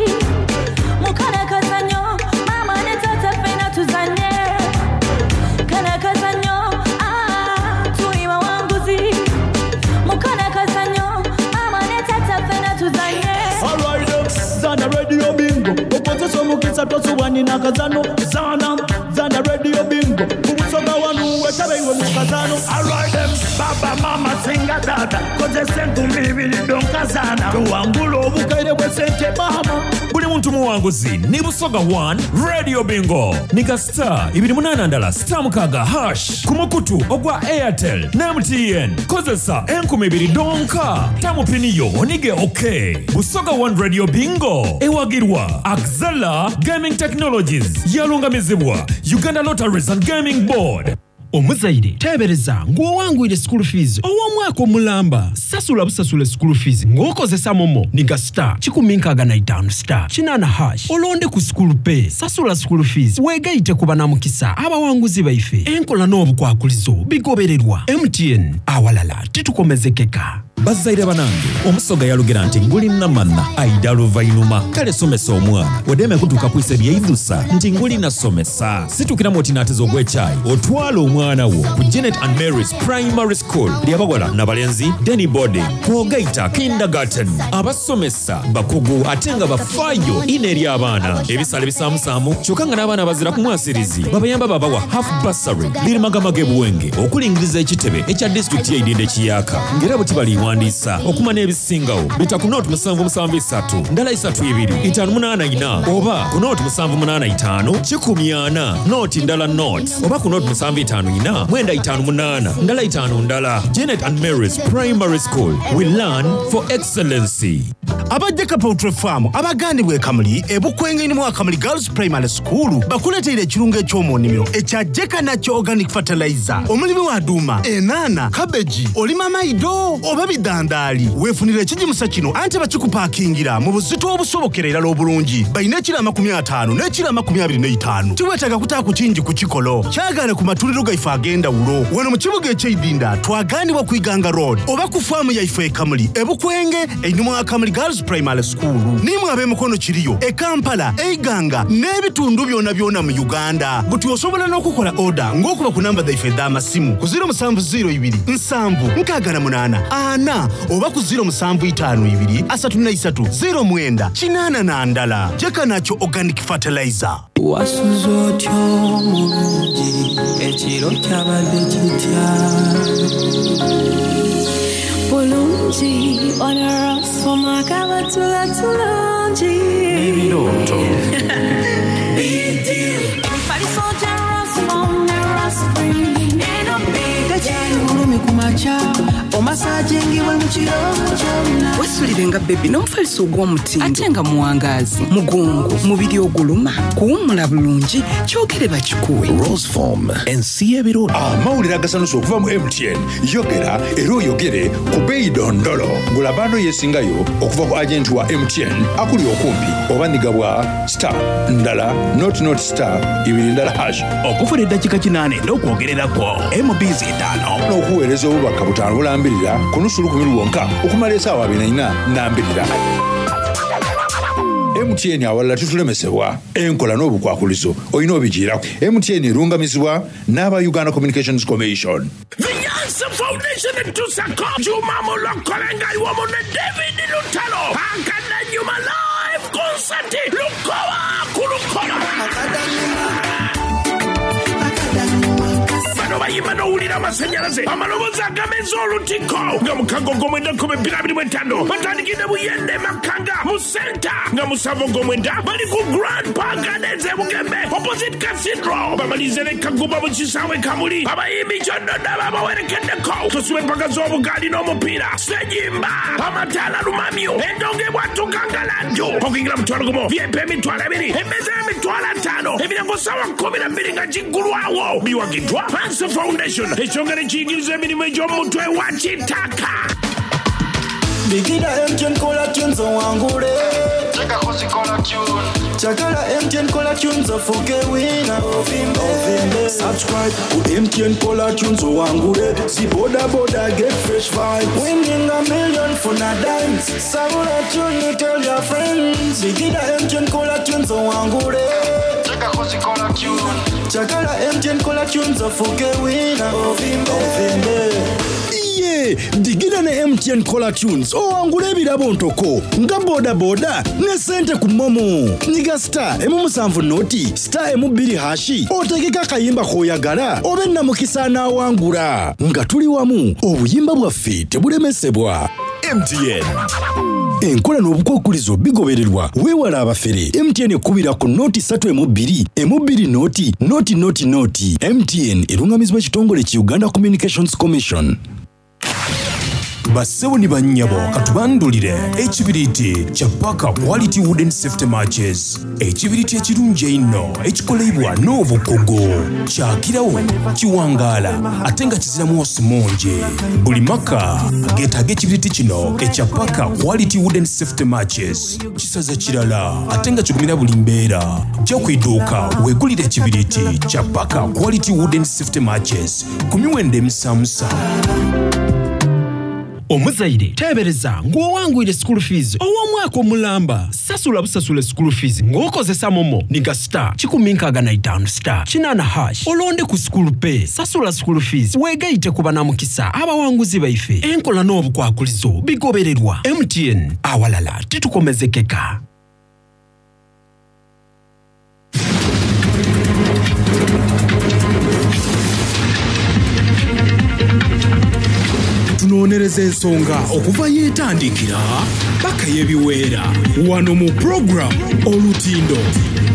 Mu kano akazannyo, maama ne taata ffenna tuzannye. Kano akazannyo, ah, tuli bawanguzi. Mu kano akazannyo, maama ne taata ffenna tuzannye. Alright, zana Radio Bingo okozesa omukisa tosubwa nina akazano. Zana zana Radio Bingo ku Busoga wanu wetabe iwe mu kazano. Alright, baba mama singa dada kozesa enkumi ibiri donka zana tuwangula obukaire bw'esente mama. Buli muntu muwanguzi ni Busoga 1 Radio Bingo niga star ibiri munaana ndala star mukaaga hash ku mukutu ogwa Airtel ne MTN. Kozesa enkumi ibiri donka tamu pini yo onige ok. Busoga 1 Radio Bingo ewagirwa Axela Gaming Technologies, yalungamizibwa Uganda Lotteries and Gaming Board. Omuzaire teebereza ng'owangwire school fees ow'omwaka omulamba. Sasula busasule school fees ng'okozesa momo niga star 165 star 8 hash olonde ku school pay. Sasula school fees weegaite ku banamukisa abawanguzi baife. Enkola n'obukwakulizo bigobererwa. MTN awalala titukomezekeka. Bazaire banange, omusoga yalugera nti nguli namana aida luvainuma. Kale somesa omwana odeme kutuuka kwisa ebyeidhusa nti nguli nasomesa. Situkiramu oti naateza ogw'ekyayi otwala omwana wo ku Janet and Mary's Primary School lyabawala nabalenzi Denny boarding kwogaita kindergarten. Abasomesa bakugu ate nga bafaayo ino eri abaana. Ebisale bisaamusaamu kyokka nga n'abaana bazira ku mwasirizi babayamba babawa half bursary. Liri Magamaga e Buwenge okulingiriza ekitebe ekya disitulikiti y'eidinda ekiyaka ng'era bwe tibaliwandiisa okuma n'ebisingawo bita ku nooti musanvu musanvu isatu ndala isatu ibiri itaanu munaana ina oba ku nooti musanvu munaana itaanu kikumi ana nooti ndala nooti oba ku nooti musanvu itaanu ina mwenda itaanu munaana ndala itaanu ndala. Janet and Mary's Primary School, we learn for excellency. Aba Jeka Poultry Farm abagandibwa e Kamuli e Bukwenge ni mu Kamuli Girls Primary School bakuleteire ekirungo eky'omu nnimiro ekya Jeka Natural Organic Fertilizer. Omulimi wa duuma, enaana, kabeji, olima maido oba bidandaali, weefunira ekigimusa kino anti bakikupakingira mu buzito obusobokera irala obulungi. Balina ekiro 50 n'ekiro 25. Tiweetaaga kutaaku kingi ku kikolo. Kyagaane ku matundiro gaife ag'endawulo wano mu kibuga eky'eidinda twagaanibwa ku Iganga Road oba ku faamu yaife e Kamuli e Bukwenge einhuma wa Kamuli Girls Primary School. Nimwe ab'emikono kiriyo e Kampala, e Iganga n'ebitundu byonabyona mu Uganda. Buti osobola n'okukola oda ng'okuba ku namba dhaife edh'amasimu ku 0702 7 68 4 oba ku 0752 33 09 81. Jeka Natural Organic Fertilizer. Wasuze otya omulungi, ekiro kyabadde kitya? Bulungi, onarasoma kabatula tulungi. N'ebirooto. Mifaliso gya Rasmom ne Raspring, eno big Tekyali bulumi ku makya, omasajingibwe mu kiro kyonna. Wesulire nga bebi n'omufaliso ogw'omutindo ate nga muwangaazi, mugongo, mubiri oguluma, kuwummula bulungi, kyogere bakikuwe. Roseform, ensi y'ebirooto. Amawulire agasanusa okuva mu MTN. Yogera era oyogere ku bbeeyi dondolo. Gula bando yeesingayo okuva ku agenti wa MTN akuli okumpi oba nigabwa star ndala not not star ibiri ndala hash. Okufuna eddakiika 8 n'okwogererako MBs 5. N'okuweereza obubaka 5 bulambirira ku nusu lukumi lwonka okumala essaawa abiri na ina nambirira. MTN awalala tutulemesebwa enkola n'obukwakulizo olina obigiirako. MTN erungamizibwa n'aba Uganda Communications Commission. The Yansa Foundation etusako Juma Mulokole nga iwomu ne David Lutalo Akadanyuma live. Busati lukoba ku lukoba. Bano bayimba n'owulira amasanyalaze, amaloboozi agameza olutiko nga mukaga Ogwomwenda 2025 batandikidde Buyende Makanga mu Centre nga musanvu Ogwomwenda bali ku Grand Park Gardens e Bugembe opposite Cathedral bamalirize ne Kagumba mu kisaawe Kamuli. Abayimbi Kyoddodo ababawerekeddeko Tosubwa empaka z'obugaali n'omupiira, Ssejimba, amataala lumamyo, endongo ebwatuka nga laddu, okuyingira mutwalo gumu, VIP emitwalo ebiri, emmeeza ya mitwalo ataano, emiryango ssaawa 12 nga giggulwawo. Biwagiddwa Hanse Foundation, ekitongole ekiyigiriza emirimu egy'omu mutwe wa kitaka. Bigida MTN kola tunes owangule. Chagala MTN kola tunes ofuke winner ovimbe. Subscribe ku MTN kola tunes owangule. Zi boda boda get fresh vibes. Winning a million for na dimes. Sabula tune tell your friends. Bigida MTN kola tunes owangule. Chagala MTN kola tunes ofuke winner ovimbe. Iye digida ne MTN Caller Tunes owangule ebirabo ntoko nga bodaboda ne sente ku momo. Nyiga star emu musanvu noti star emu bbiri hashi otegeke akayimba k'oyagala obe namukisa anaawangula. Nga tuli wamu obuyimba bwaffe tebulemesebwa. MTN. Enkola n'obukwakulizo bigobererwa weewala abafere. MTN ekubira ku noti ssatu emu bbiri emu bbiri noti noti noti noti. MTN erungamizibwa ekitongole ki Uganda Communications Commission. Bassebo ni bannyabo katubandulire ekibiriiti kya Parker Quality Wooden Safety Matches. Ekibiriiti ekirungi einho ekikoleibwa n'obukugu. Kyakirawo, kiwangaala ate nga kizira mwosi mungi. Buli maka geetaaga ekibiriiti kino ekya Parker Quality Wooden Safety Matches. Kisaza kirala ate nga kigumira buli mbeera. Ja ku iduuka weegulire ekibiriiti kya Parker Quality Wooden Safety Matches ku miwendo emisamusa. Omuzaire teebereza ng'owangwire school fees ow'omwaka omulamba. Sasula busasule school fees ng'okozesa momo niga star 165 star 8 hash olonde ku school pay. Sasula school fees weegaite ku banamukisa abawanguzi baife. Enkola n'obukwakulizo bigobererwa. MTN awalala titukomezekeka. Tunoonyereza ensonga okuva yeetandikira paka yebiweera wano mu program Olutindo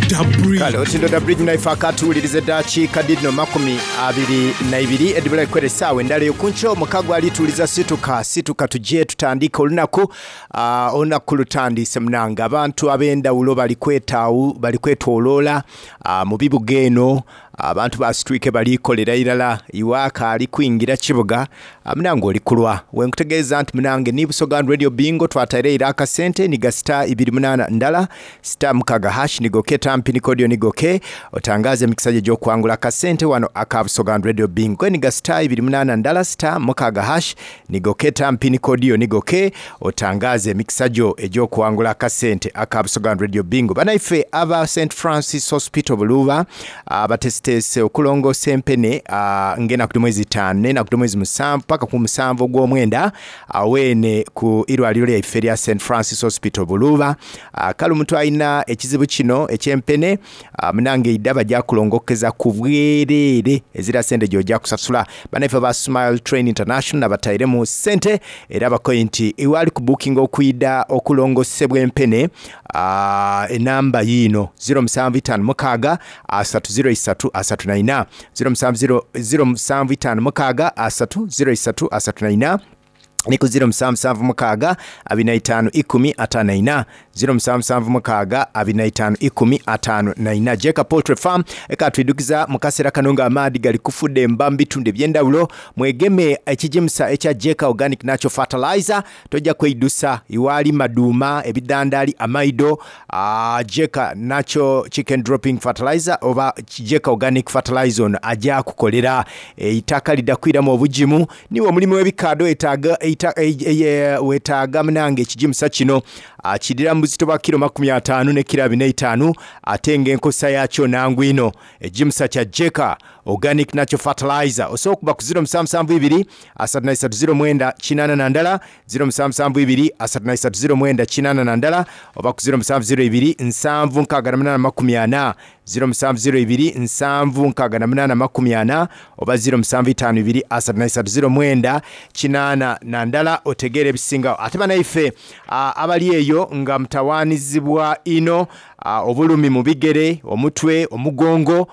Da Bridge. Kale Olutindo Da Bridge naife akatuwuliriza eddakiika dhino 22 edhibula ekwera essaawa endala eyo kunkyo mukago alituwuliza situka situka tuje tutandike olunaku ah, olunaku lutandiise munange abantu ab'endawulo bali kwetaawu bali kwetoloola ah, mu bibuga eno abantu basitwike bali kolera irala iwe akaali kwingira kibuga ah, munange oli kulwa wenkutegeeza nti munange ni Busoga Radio Bingo twataire ira akasente ni gasita ibiri munana ndala sita mukaga hash nigoke tampi nikodio nigoke otangaze emikisa gye gy'okuwangula akasente wano aka Busoga Radio Bingo ni gasita ibiri munana ndala sita mukaga hash nigoke tampi nikodio nigoke otangaze emikisa gyo egy'okuwangula akasente aka Busoga Radio Bingo. Banaife aba St Francis Hospital Buluba abatesitese okulongoosa empene ng'enaku dh'omwezi itaanu n'enaku dh'omwezi musanvu paka ku musanvu ogw'omwenda aweene ku irwaliro lyaife erya St Francis Hospital Buluba. Kale omuntu alina ekizibu kino eky'empene munange idha bajja kulongokeza ku bwereere ezira sente gy'ojja kusasula. Banaife aba Smile Train International abatairemu sente era bakoye nti iwe ali kubukinga okwidha okulongosebwa empene enamba yiino ziro musanvu itaanu mukaaga asatu ziro isatu asatu na ina ziro musanvu ziro, ziro musanvu itaanu mukaaga asatu ziro isatu asatu na ina ni ku ziro musanvu musanvu mukaaga abiri na itaanu ikumi ataano na ina ziro musanvu musanvu mukaaga abiri na itaanu ikumi ataano na ina. Jeka Poultry Farm eka twidukiza mu kaseera kano nga amaadhi gali kufudemba mu bitundu eby'endawulo mwegeme ekigimusa ekya Jeka Organic Natural Fertilizer tojja kweidusa iwaali maduuma ebidandali amaido Jeka Natural Chicken Dropping Fertilizer oba Jeka Organic Fertilizer ono ajja kukolera eitaka lidda kwiramu obugimu niwe omulimi w'ebikaado etaaga Weetaaga munange ekigimusa kino. Kidhira mu buzito bwa kilo 50 ne kilo 45 ate nga enkozesa yaakyo nangu inho. Ekigimusa kya Jeka Organic Natural Fertilizer. Osobola okuba ku 0772 33 09 81, 0772 33 09 81 oba ku 0702 768 40, 0702 768 40 oba 0752 33 09 81 otegeere ebisingagho. Ate banaife abali eyo nga mutawaanizibwa inho obulumi mu bigere, omutwe, omugongo,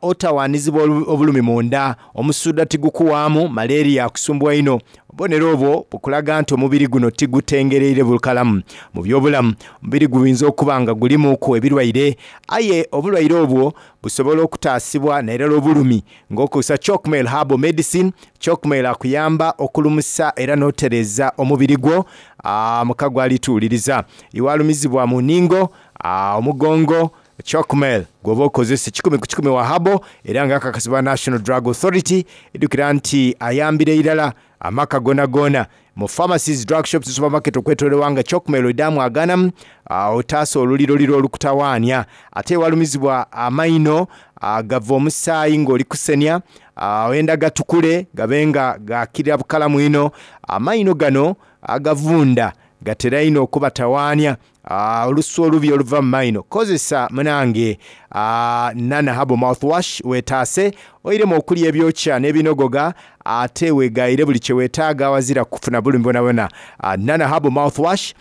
otawaanizibwa obulumi munda, omusuudha tigukuwaamu, malaria akusumbuwa inho. Obubonero obwo bukulaga nti omubiri guno tigutengereire bukalamu mu by'obulamu. Omubiri guyinza okuba nga gulimuuku ebirwaire, aye obulwaire obwo busobola okutaasibwa nairala obulumi ng'okozesa Chalkmail Herbal Medicine. Chalkmail akuyamba okulumusa era n'otereeza omubiri gwo muka gw'alituwuliriza. Iwe alumizibwa mu nhingo, omugongo, Chalkmail gwoba okozesa kikumi ku kikumi wa herbal era nga akakasibwa National Drug Authority. Idhukira nti ayambira irala amaka gonagona mu pharmacies, drug shops ne supermarket okwetolola nga Chalkmail oidhamu aganamu otaasa oluliroliro olukutawaania. Ate ewalumizibwa amaino gava omusaayi nga oli kusenia, oyenda gatukule gabe nga gakirira bukalamu inho. Amaino gano agavunda gatera inho okubatawaania. Olusu olubi oluva mu maino. Kozesa munange Nana Herbal Mouthwash wetaase oiremu okulya ebyokya n'ebinogoga ate wegaire buli kye weetaaga awazira kufuna bulumi bwonabwona. Nana Herbal Mouthwash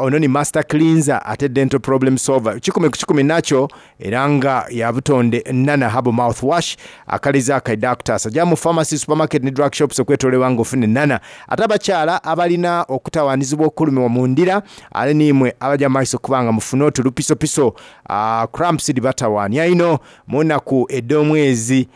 ono ni master cleanser ate dental problem solver. Kikumi ku kikumi nakyo era nga ya butonde Nana Herbal Mouthwash akaliza kaidha akutaasa. Ja mu pharmacy, supermarket ni drug shops okwetololebwa nga ofune Nana. Ate abakyala abalina okutawanizibwa okulumibwa mu ndira ale n'imwe abaja mu maiso okuba nga mufuna oti lupisopiso, cramps dhibatawaania inho mu naku edh'omwezi.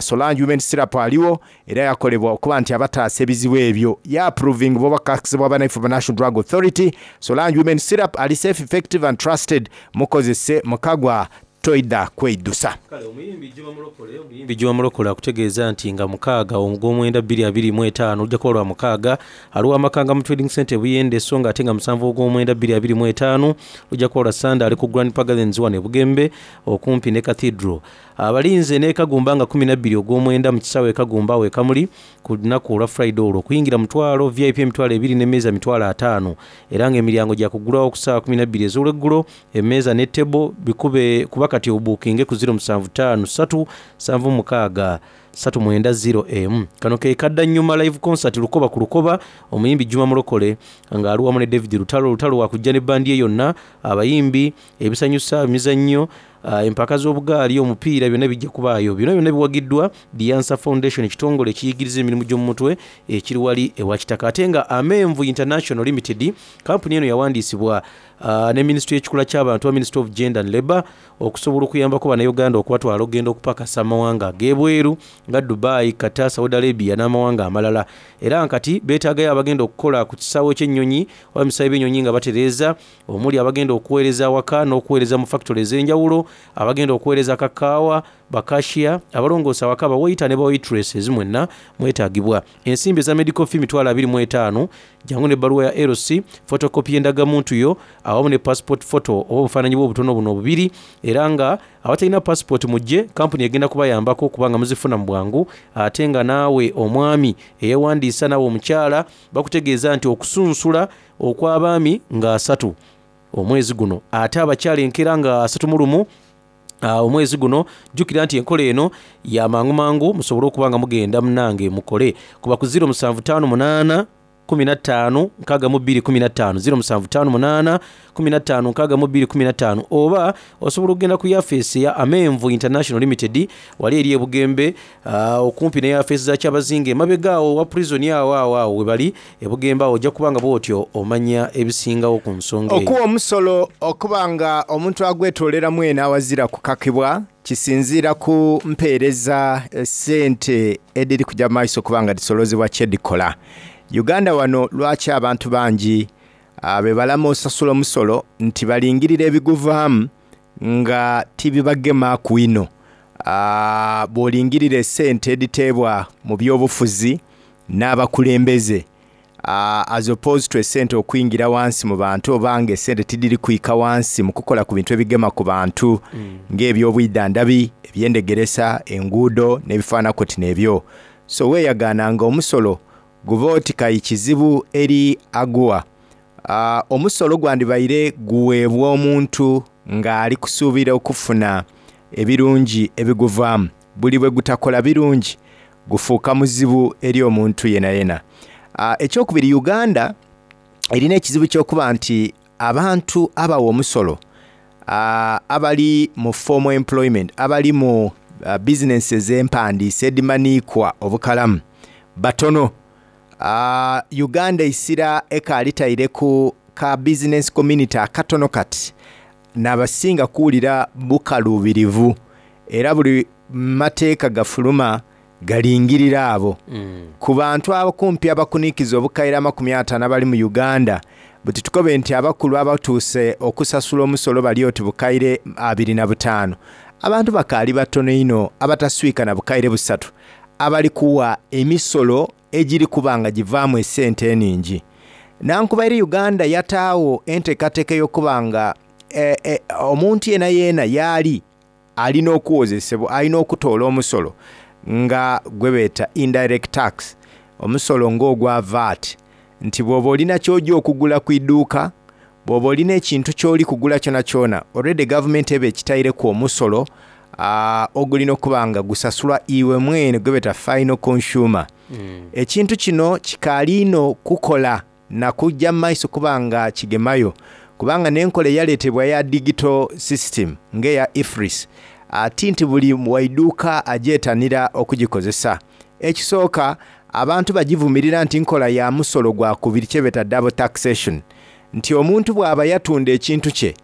Solange Women Syrup aligho era yakolebwa okuba nti abataasa ebizibu ebyo. Yaaprovingibwa oba kakasibwa banaife ba National Drug Authority. Solange Women Syrup ali safe, effective and trusted. Mukozese mukagwa toidha kweidhusa. Kale omuyimbi Juma Mulokole Omuyimbi Juma Mulokole akutegeeza nti nga mukaaga Ogwomwenda bbiri abiri mu etaano lujja kuba lwa mukaaga ali wa Makanga mu Trading Centre e Buyende so nga ate nga musanvu Ogwomwenda bbiri abiri mu etaano lujja kuba lwa Ssande ali ku Grand Park Gardens wano e Bugembe okumpi ne Cathedral. Abalinze n'e Kagumba nga kumi na bbiri Ogwomwenda mu kisaawe e Kagumba awo e Kamuli ku lunaku olwa Friday olwo. Okuyingira mutwalo, VIP emitwalo ebiri n'emmeeza mitwalo ataano era nga emiryango gya kuggulwawo ku ssaawa kumi na bbiri ez'olweggulo. Emmeeza ne table bikube kuba kati obuukinge ku ziro musanvu taanu satu nsanvu mukaaga satu mwenda ziro emu. Kano ke kadda nyuma live concert Lukoba ku Lukoba, omuyimbi Juma Mulokole nga ali wamu ne David Lutalo. Lutalo wakujja ne bbandi ye yonna, abayimbi, ebisanyusa, emizannyo, empaka z'obugaali, omupiira byonna bijja kubaayo. Bino byonna biwagiddwa The Answer Foundation ekitongole ekiyigiriza emirimu gy'omu mutwe ekiri wali ewa Kitaka ate nga Amenvu International Limited kampuni eno yawandiisibwa ne minisitule y'ekikula ky'abantu oba Ministry of Gender and Labour okusobola okuyambako Bannayuganda okubatwala okugenda okupakasa amawanga ag'ebweru nga Dubai, Qatar, Saudi Arabia n'amawanga amalala era nga kati beetaagayo abagenda okukola ku kisaawe ky'ennyonyi oba ebisaawe by'ennyonyi nga batereeza omuli abagenda okuweereza awaka n'okuweereza mu fakitole ez'enjawulo, abagenda okuweereza kakaawa, bakashiya, abalongoosa awaka, bawaita ne bawaitresses mwenna mwetaagibwa. Ensimbi eza medical fee 25,000, jangu n'ebbaluwa ya LC, photocopy y'endagamuntu yo awamu ne passport photo oba obufaananyi bwo obutono buno obubiri era nga abatalina passport mujje kampuni egenda kubayambako okuba nga muzifuna mu bwangu ate nga naawe omwami eyewandiisa naawe omukyala bakutegeeza nti okusunsula okw'abaami nga asatu omwezi guno ate abakyala enkeera nga 31 omwezi guno. Jjukira nti enkola eno ya mangu mangu musobole okuba nga mugenda munange mukole kuba ku ziro musanvu taanu munaana 15 62 15, ziro musanvu taanu munaana 15 62 15 oba osobola okugenda ku yafeesi eya Amenvu International Limited wali eri e Bugembe okumpi ne yafeesi za Kyabazinga emabega awo wa prison awo awo awo webali e Bugembe awo ojja kuba nga bwotyo omanya ebisingawo ku nsonga eyo. Okuwa omusolo okuba nga omuntu agwetoolera mwene awazira kukakibwa kisinziira ku mpeereza sente edhiri kuja mu maiso okuba nga dhisolozebwa kye dhikola. Uganda wano lwaki abantu bangi bebalama osasula omusolo nti balingirira ebiguvaamu nga tibibagemaaku inho. Bwolingirira esente edhiteebwa mu byobufuzi n'abakulembeze. As opposed to esente okwingira wansi mu bantu oba nga esente tidhiri kwika wansi mu kukola ku bintu ebigema ku bantu nga eby'obwidhandhabi, eby'endhegeresa, enguudo n'ebifaananaku oti n'ebyo. So weeyagaana nga omusolo guba oti kayi kizibu eri aguwa. Omusolo gwandibaire guweebwa omuntu ng'ali kusuubira okufuna ebirungi ebiguvaamu. Buli bwe gutakola birungi, gufuuka muzibu eri omuntu yenayena. Ekyokubiri, Uganda erina ekizibu ky'okuba nti abantu abawa omusolo abali mu formal employment, abali mu bizinensi ez'empandiise edhimaniikwa obukalamu batono. Uganda eisira ekaali taire ku ka bizinensi community akatono kati n'abasinga kuwulira bukaluubirivu era buli mateeka gafuluma galingirira abo. Ku bantu akumpi abakunikiza obukaire 50 abali mu Uganda, buti tukobe nti abakulu abatuuse okusasula omusolo bali oti bukaire 25. Abantu bakaali batono inho abataswika na bukaire busatu abali kuwa emisolo egiri kuba nga givaamu esente eningi. Nankubaire Uganda yataagho enteekateeka ey'okuba nga omuntu yenayena yaali alina okuwozesebwa, alina okutoola omusolo nga gwebeeta indirect tax, omusolo nga ogwa VAT, nti bwoba olina kyoja okugula ku iduuka, bwoba olina ekintu kyoli kugula kyonakyona, already gavumenti eba ekitaireku omusolo ogulina okuba nga gusasulwa iwe mwene gwebeeta final consumer. Ekintu kino kikaali inho kukola na kuja mu maiso kuba nga kigemayo kubanga n'enkola eyaleetebwa eya digital system nga eya EFRIS ti nti buli wa iduuka agyetanira okugikozesa. Ekisooka abantu bagivumirira nti nkola ya musolo gwa kubiri kyebeeta double taxation nti omuntu bwaba yatunda ekintu kye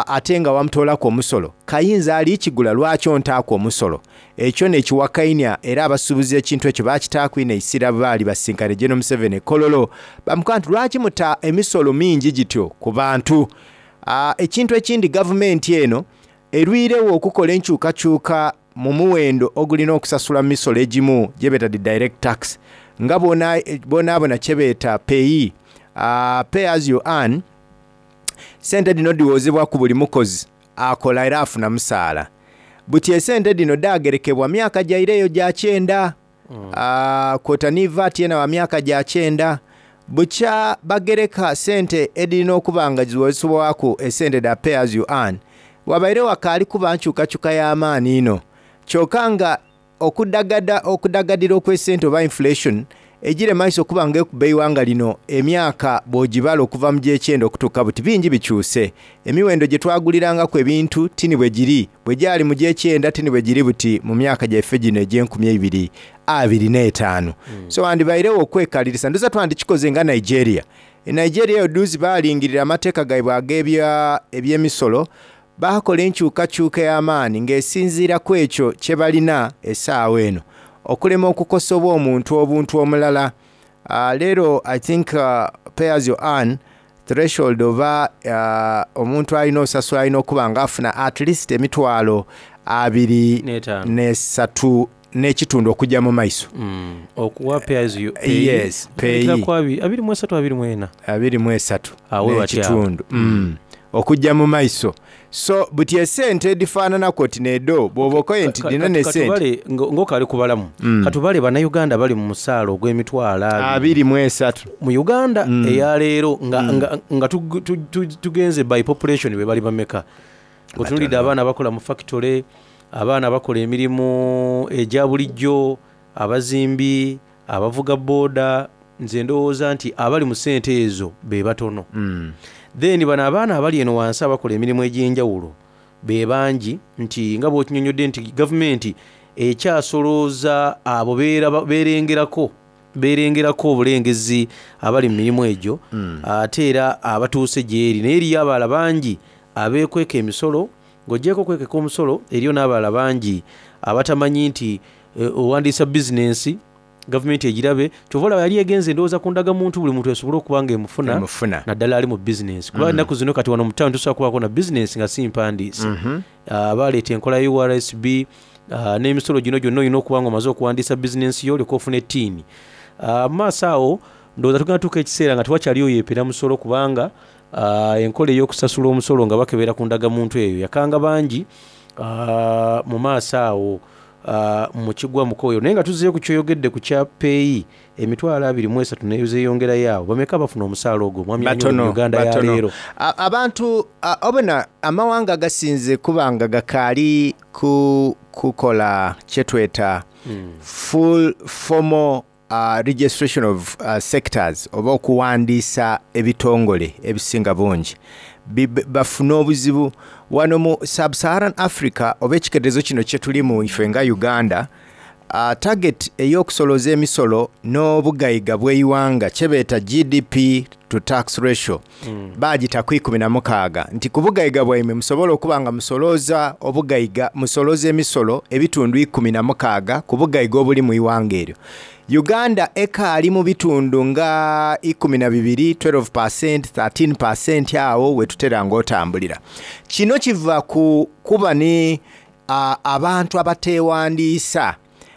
ate nga wamutoolaku omusolo, kayinza ali kigula lwaki ontaaku omusolo? Ekyo n'ekiwakainia era abasuubuzi ekintu ekyo baakitaaku inho eisira bwe baali basinkane General Museveni e Kololo bamukoba nti lwaki muta emisolo mingi gityo ku bantu? Ekintu ekindi gavumenti eno erwiregho okukola enkyukakyuka mu muwendo ogulina okusasula mu misolo egimu gyebeeta dhi direct tax nga bw'onaabona kyebeeta pay, pay as you earn, Sente dhino dhiwozebwa ku buli mukozi akola era afuna musaala. Buti esente dhino dhaagerekebwa myaka gyaire eyo gya kyenda. Kwota ni VAT yena wa myaka gya kyenda. Bukya bagereka sente edhirina okuba nga dhiwozebwaku esente dha pay as you earn, wabaire wakaali kuba nkyukakyuka ya maani inho. Kyoka nga Okudagada okudagadira okw'esente oba inflation ejira emaiso okuba nga ekuba eighanga lino emyaka bw'ogibala okuva mu gy'ekyenda okutuuka buti bingi bikyuse. Emiwendo gye twagulirangaku ebintu ti ni bwe giri bwe gyali mu gy'ekyenda ti ni bwe giri buti mu myaka gyaife gino egy'enkumi eibiri abiri n'etaanu. So wandibairegho okwekalirisa ndhooza twandikikoze nga Nigeria. E Nigeria eyo dhuuzi baalingirira amateeka gaibwe ag'ebya eby'emisolo Baakola enkyukakyuka ey'amaani ng'esinziira ku ekyo kye balina esaawa eno. Okulema okukosa oba omuntu obuntu omulala. Leero I think pay as you earn threshold oba omuntu alina osasula alina okuba nga afuna at least emitwalo abiri n'esatu n'ekitundu okugya mu maiso. Okuwa pay as you pay. Yes, pay. Ku 23 24. 23 n'ekitundu. Okugya mu maiso. So buti esente edhifaananaku oti n'edho bw'oba okoye nti dhino n'esente. Katubale ng'okaali kubalamu, katubale Bannayuganda abali mu musaala ogw'emitwalo 23. Mu Uganda eya leero nga tugenze by population be bali bameka? Ng'otunuulidde abaana abakola mu fakitole, abaana abakola emirimu egya bulijjo, abazimbi, abavuga boda, nze ndowooza nti abali mu ssente ezo be batono. Then bano abaana abali eno wansi abakola emirimu egy'enjawulo be bangi nti nga bw'okinyonnyodde nti gavumenti ekyasolooza abo beerengerako beerengerako obulengezi abali mu mirimu egyo ate era abatuuse gy'eri naye eriyo abalala bangi abeekweka emisolo. Ng'oggyeeko okwekeka omusolo, eriyo n'abalala bangi abatamanyi nti owandiisa bizinensi gavumenti egirabe. Kyova olaba yali egenze ndowooza ku ndagamuntu buli muntu esobole okuba nga emufuna naddala ali mu bizinensi kuba ennaku zino kati wano mu tawuni tosobola kubaako na bizinensi nga si mpandiise. Baaleeta enkola ya URSB n'emisolo gino gyonna olina okuba nga omaze okuwandiisa bizinensi yo olyoke ofune ttiini. Mu maaso awo. Ndowooza tugenda tuuka ekiseera nga tewakyaliyo yeepera musolo kubanga enkola ey'okusasula omusolo nga bakebera ku ndagamuntu eyo yakanga bangi mu maaso awo mu kigwa mukoyo. Naye nga tuzzeeyo ku ky'oyogedde ku kya ppeeyi emitwalo 23 n'ezeyongerayo awo, bameka abafuna omusaala ogwo Mwami Anyolo mu Batono, Uganda ya batono. leero? Abantu obona amawanga agasinze kuba nga gakaali ku kukola kyetweta full formal registration of sectors oba okuwandiisa ebitongole ebisinga bungi bafuna obuzibu wano mu sub-Saharan Africa oba ekiketezo kino kyetulimu ife nga Uganda. Target ey'okusoloza emisolo n'obugaiga bw'eighanga kyebeeta GDP to tax ratio bagita ku 16 nti ku bugaiga bwaimwe musobola okuba nga musoloza obugaiga, musoloza emisolo ebitundu 16 ku bugaiga obuli mu ighanga eryo. Uganda ekaali mu bitundu nga 12, 12%, 13% awo wetutera ng'otambulira. Kino kiva ku kuba ni abantu abatewandiisa,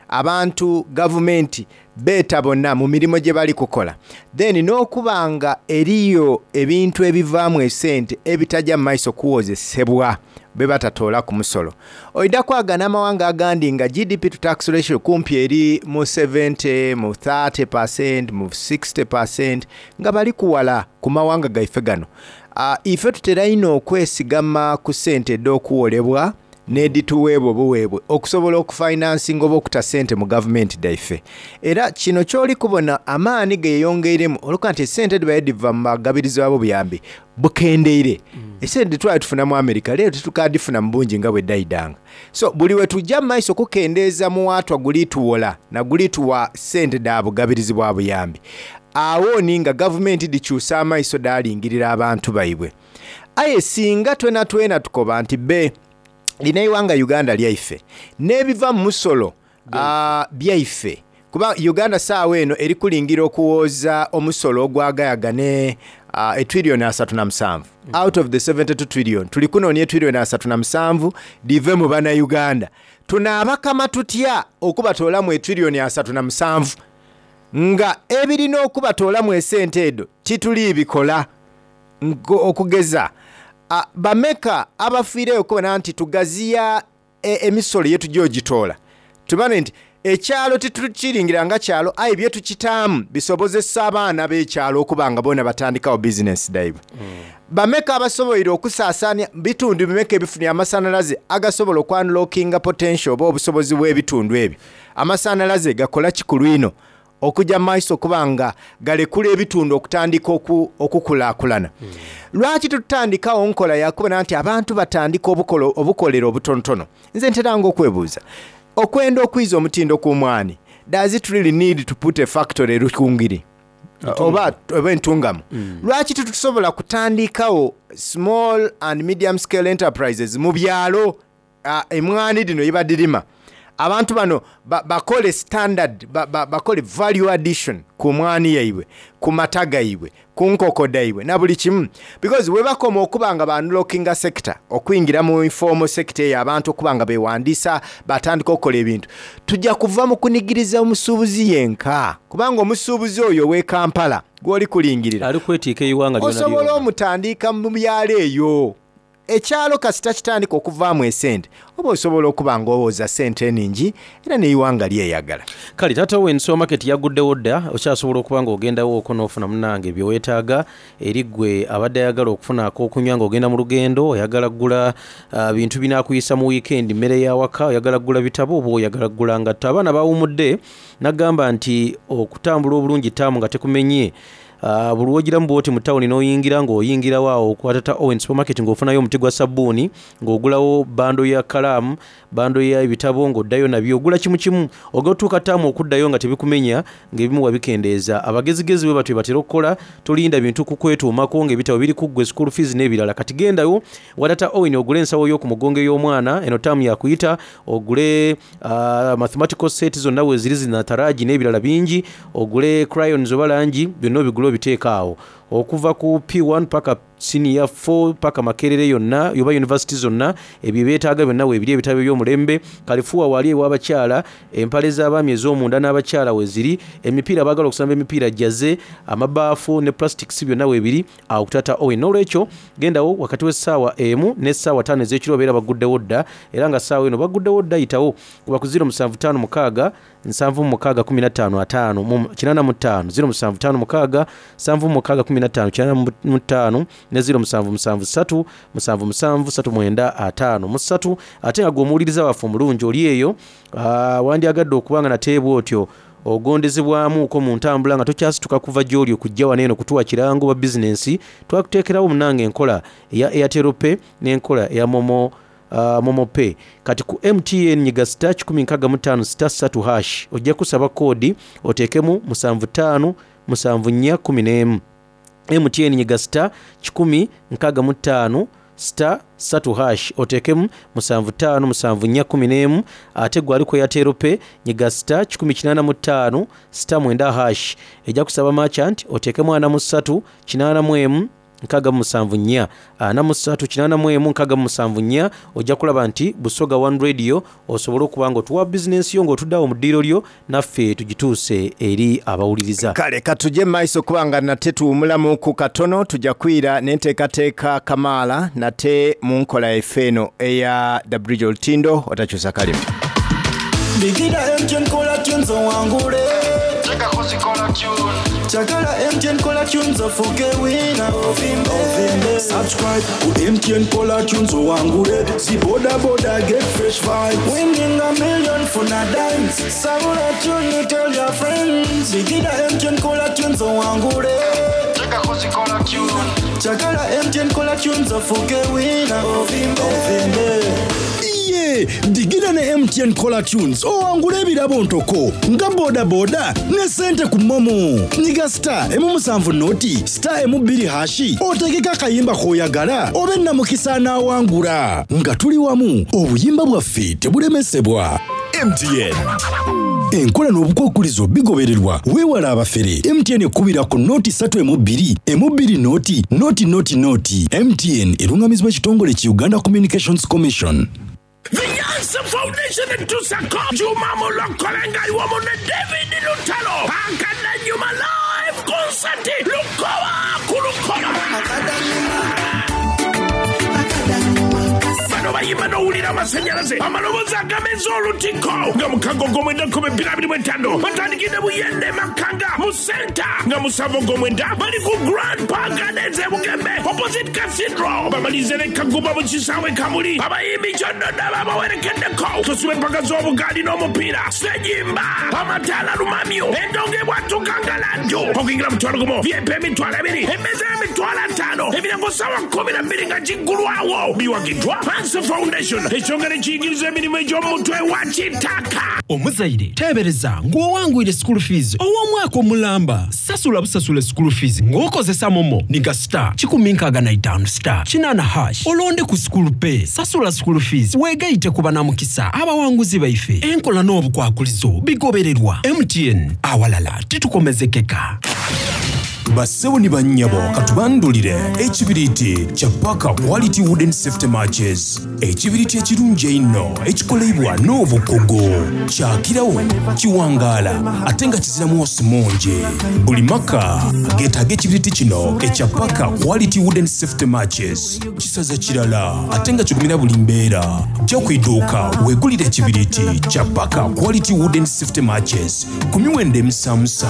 abantu gavumenti beeta bonna mu mirimu gye bali kukola, then n'okuba nga eriyo ebintu ebivaamu esente ebitajja mu maiso kuwozesebwa bwe batatoola ku musolo. Oidha kwagana amawanga agandi nga GDP to tax ratio kumpi eri mu 70, mu 30%, mu 60% nga bali kuwala ku mawanga gaife gano. Ife tutera ino okwesigama ku sente edh'okuwolebwa n'edhituweebwa obuweebwe okusobola okufinansinga oba okuta sente mu gavumenti dhaife. Era kino ky'oli kubona amaani geyongeiremu olwokuba nti esente dhibaire dhiva mu bagabirizi b'obuyambi bukendeire. Esente dhetwali tufuna mu America leero titukadhifuna mu bungi nga bwe dhaidanga. So buli we tujja mu maiso kukendeeza muwaatwa guli tuwola na guli tuwa sente dha bugabirizi bwa buyambi. Awo ni nga gavumenti dhikyusa amaiso dhalingirira abantu baibwe. Aye singa twena twena tukoba nti be lino eighanga Uganda lyaife n'ebiva mu musolo byaife, kuba Uganda saawa eno eri kulingira okuwooza omusolo ogwagayaga ne etrillion 37 out of the 72 trillion. Tuli kunoonia etrillion 37 dhive mu bana Uganda. Tunaabakama tutya okubatoolamu etrillion 37 nga ebirina okubatoolamu esente edo tituli bikola? Okugeza bameka abafiireyo okubona nti tugaziya emisolo yetujja ogitoola, tubane nti ekyalo titukiringira nga kyalo, aye byetukitaamu bisobozesa abaana b'ekyalo okuba nga bona batandikawo bizinesi daibwe. Bameka abasoboire okusaasaanya bitundu bimeka ebifunye amasanalaze agasobola okwanlockinga potential oba obusobozi bw'ebitundu ebyo? Amasanalaze gakola kikulu ino okujja mu maiso okuba nga galekula ebitundu okutandika okukulaakulana. Lwaki tutandikawo nkola yakubona nti abantu batandika obukolero obutonotono? Nze nteranga okwebuuza, okwenda okwiza omutindo ku mwani, does it really need to put a factory Rukungiri oba Entungamu? Lwaki tetusobola kutandikawo small and medium scale enterprises mu byalo, emwani dhino yebadirima? Abantu bano bakole standard, bakole value addition ku mwani yaibwe, ku mata gaibwe, ku nkoko daibwe na buli kimu, because we bakoma okuba nga banlockinga sector okuyingira mu informal sector eyo, abantu okuba nga bewandiisa batandika okukola ebintu, tujja kuva mu kunigiriza omusuubuzi yenka, kubanga omusuubuzi oyo ow'e Kampala gw'oli kulingirira ali kwetiika eighanga lyona osobola lyona. Omutandika mu byalo eyo. Ekyalo kasita kitandika okuvaamu esente, oba osobola okuba nga owooza sente eningi era n'eighanga lyeyagala. Kale taata we supermarket yaguddewo dda, okyasobola okuba nga ogendawo okwo n'ofuna munange bye weetaaga. Eri ggwe abadde ayagala okufuna ak'okunywa ng'ogenda mu lugendo, oyagala kugula bintu binaakuyisa mu wiikendi, mmere y'awaka, oyagala kugula bitabo oba oyagala kugula ngatto, abaana bawumudde. Nagamba nti okutambula obulungi taamu nga tekumenye. Buli wogiramu bwoti mu tawuni n'oyingira ng'oyingirawo awo okwata ta Owen supermarket ng'ofunayo omuti gwa sabbuuni, ng'ogulawo bando ya kalaamu, bando ya ebitabo, ng'oddayo nabyo ogula kimu kimu, ogotuuka taamu okuddayo nga tebikumenya, ng'ebimu wabikendeeza. Abagezigezi bwe batyo batera okukola, tolinda bintu kukwetuumako ng'ebitabo biri ku ggwe, school fees n'ebirala. Kati gendayo watata Owen ogule ensawo y'oku mugongo ey'omwana, eno taamu yakuyita, ogule mathematical set zonna weeziri, zinataraji n'ebirala bingi, ogule crayons oba langi, byonna obigule obiteeka awo. Okuva ku P1 paka Siniya 4 paka Makerere yonna oba yunivasite zonna ebyo byetaaga byonna weebiri ebitabo eby'omulembe. Kalifuuwa waali ew'abakyala, empale z'abaami ez'omunda n'abakyala weeziri, emipiira abaagala okusamba emipiira jaze, amabaafu ne plastics byonna weebiri awo ku Taata Owen. Noolwekyo gendawo wakati w'essaawa emu n'essaawa taano ez'ekiro babeera bagguddewo dda era nga ssaawa eno bagguddewo dda yitawo kuba ku 0756 76 15 50 mu 85, 0756 76 15 85 ne 0773 77 39 53. Ate nga gwe omuwuliriza waffe omulungi oli eyo, wandyagadde okuba nga nate bw'otyo ogondezebwamuuko mu ntambula nga tokyasituka kuva gy'oli okujja wano eno kutuwa kirango oba bizinensi, twakuteekerawo munnange enkola eya Airtel Pay n'enkola eya Momo Momo Pay. Kati ku MTN nyiga star 165 star ssatu hash ojja kusaba koodi oteekemu musanvu ttaanu musanvu nnya kkumi n'emu. MTN nyiga star 165 star ssatu hash oteekemu musanvu ttaanu musanvu nnya kkumi n'emu. Ate gwe ali ku Airtel Pay nyiga star 185 star mwenda hash ejja kusaba merchant oteekemu ana mu ssatu kinaana mu emu 67 4, 43 81 67 4, ojja kulaba nti Busoga One Radio osobole okuba nga otuwa bizinensi yo ng'otudde agho mu ddiiro lyo naffe tugituuse eri abawuliriza. Kale katuje mu maiso kuba nga nate tuwumulamuuku katono, tuja kwira n'enteekateeka kamaala nate mu nkola yaife eno eya The Bridge Olutindo. Otakyusa kalimi. Bigida MTN kola tunes owangule. Chagala MTN kola tunes ofuke winner. Ovimbe. Subscribe ku MTN kola tunes owangule. Zi boda boda get fresh vibes. Winning a million funa dimes. Sabula tune tell your friends. Bigida MTN kola tunes owangule. Chagala MTN kola tunes ofuke winner. Ovimbe. Iye, digira ne MTN Caller Tunes owangule ebirabo ntoko nga bodaboda ne sente ku momo. Nyiga star emu musanvu noti star emu bbiri hashi otegeke akayimba k'oyagala obe namukisa anaawangula. Nga tuli wamu obuyimba bwaffe tebulemesebwa. MTN. Enkola n'obukwakulizo bigobererwa. Weewale abafere. MTN ekubira ku noti ssatu emu bbiri emu bbiri noti noti noti noti. MTN erungamizibwa ekitongole ki Uganda Communications Commission. The Yansa Foundation etusako Juma Mulokole nga ali wamu ne David Lutalo Akadanyuma live concert Lukoba ku Lukoba. Bano bayimba n'owulira amasanyalaze amaloboozi agameza olutiko nga mukago ogw'omwenda kumi bbiri abiri mu etaano batandikidde Buyende Makanga mu senta nga musanvu ogw'omwenda bali ku Grand Park Gardens e Bugembe opposite Cathedral bamalirize ne Kagumba mu kisaawe Kamuli abayimbi kyonna babawerekeddeko tusiba empaka z'obugaali n'omupiira sejimba amataala lumamyo endongo ebwatuka nga laddu okuyingira mutwalo gumu vip emitwalo ebiri emmeeza y'emitwalo ataano emiryango ssaawa 12 nga giggulwawo biwagiddwa Hansa Foundation ekitongole ekiyigiriza emirimu egy'omumutwe wa kitaka. Omuzaire teebereza ng'owangwire school fees ow'omwaka omulamba. Sasula busasule school fees ng'okozesa momo ni ga star 165 star kinaana hash olonde ku school pay. Sasula school fees weegaite ku banamukisa abawanguzi baife. Enkola n'obukwakulizo bigobererwa. MTN, awalala titukomezekeka. Bassebo ni bannyabo katubandulire ekibiriiti kya Parker Quality Wooden Safety Matches. Ekibiriiti ekirungi einho ekikoleibwa n'obukugu. Kyakirawo, kiwangaala ate nga kizira mwosi mungi. Buli maka geetaaga ekibiriiti kino ekya Parker Quality Wooden Safety Matches. Kisaza kirala ate nga kigumira buli mbeera. Ja ku iduuka weegulire ekibiriiti kya Parker Quality Wooden Safety Matches ku miwendo emisamusa.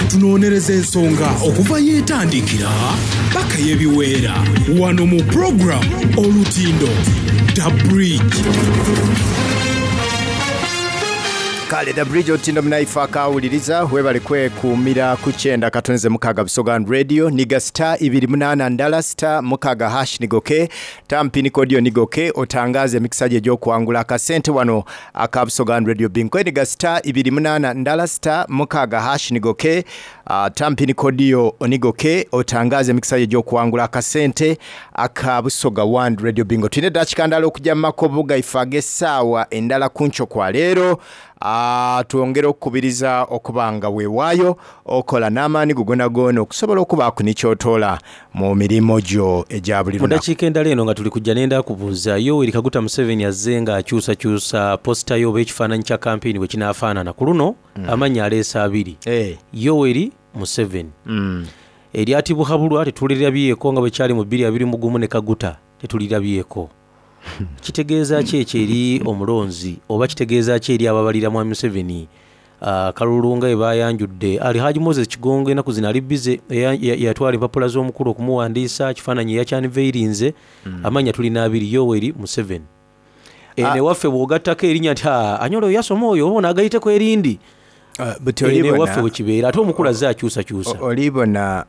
Tunonereza ensonga okuva yeetandikira paka yebiweera wano mu program Olutindo The Bridge. Kale The Bridge Otindo munaife akawuliriza, webale kwekuumira ku 96 Busoga Radio. Niga star 280 star 6 hash, nigoke tampini kodio nigoke otangaze emikisa gye egy'okuwangula akasente wano aka Busoga Radio Bingo. Niga star 280 star 6 hash, nigoke tampini kodio onigoke otangaze emikisa gye egy'okuwangula akasente aka Busoga One Radio Bingo. Tulina eddakiika ndala okujja mu makobo gaife ag'essaawa endala ku nkyo kwa leero. Twongere okukubiriza okuba nga weewaayo okola n'amaani go gonagona okusobola okubaaku nikyotoola mu mirimu gyo egya buli Mu lunaku. Dakiika endala eno nga tuli kujja, nenda kubuuza Yoweri Kaguta Museveni azze ng'akyusakyusa poster yo oba ekifaananyi kya kampeyini bwe kinaafaanana ku luno. Amannya aleese abiri, Yoweri Museveni. Erya Tibuhaburwa tetulirabyeko nga bwe kyali mu 2021, ne Kaguta tetulirabyeko. Kitegeeza ki ekyo eri omulonzi oba kitegeeza ki eri ababalira mwami Museveni kalulu nga bwe bayanjudde? Ali Haji Moses Kigongo ennaku zino ali bize, yatwala empapula z'omukulu okumuwandiisa kifaananyi eyakyaniveirinze. Amannya tulina abiri, Yoweri Museveni. Eno ewaffe bw'ogattako erinnya nti, "Ah, anyola oyo yasoma oyo," oba onaagayiteko erindi. Buti Eno olibona ewaffe bwe kibeera, ate omukulu azze akyusakyusa. Olibona.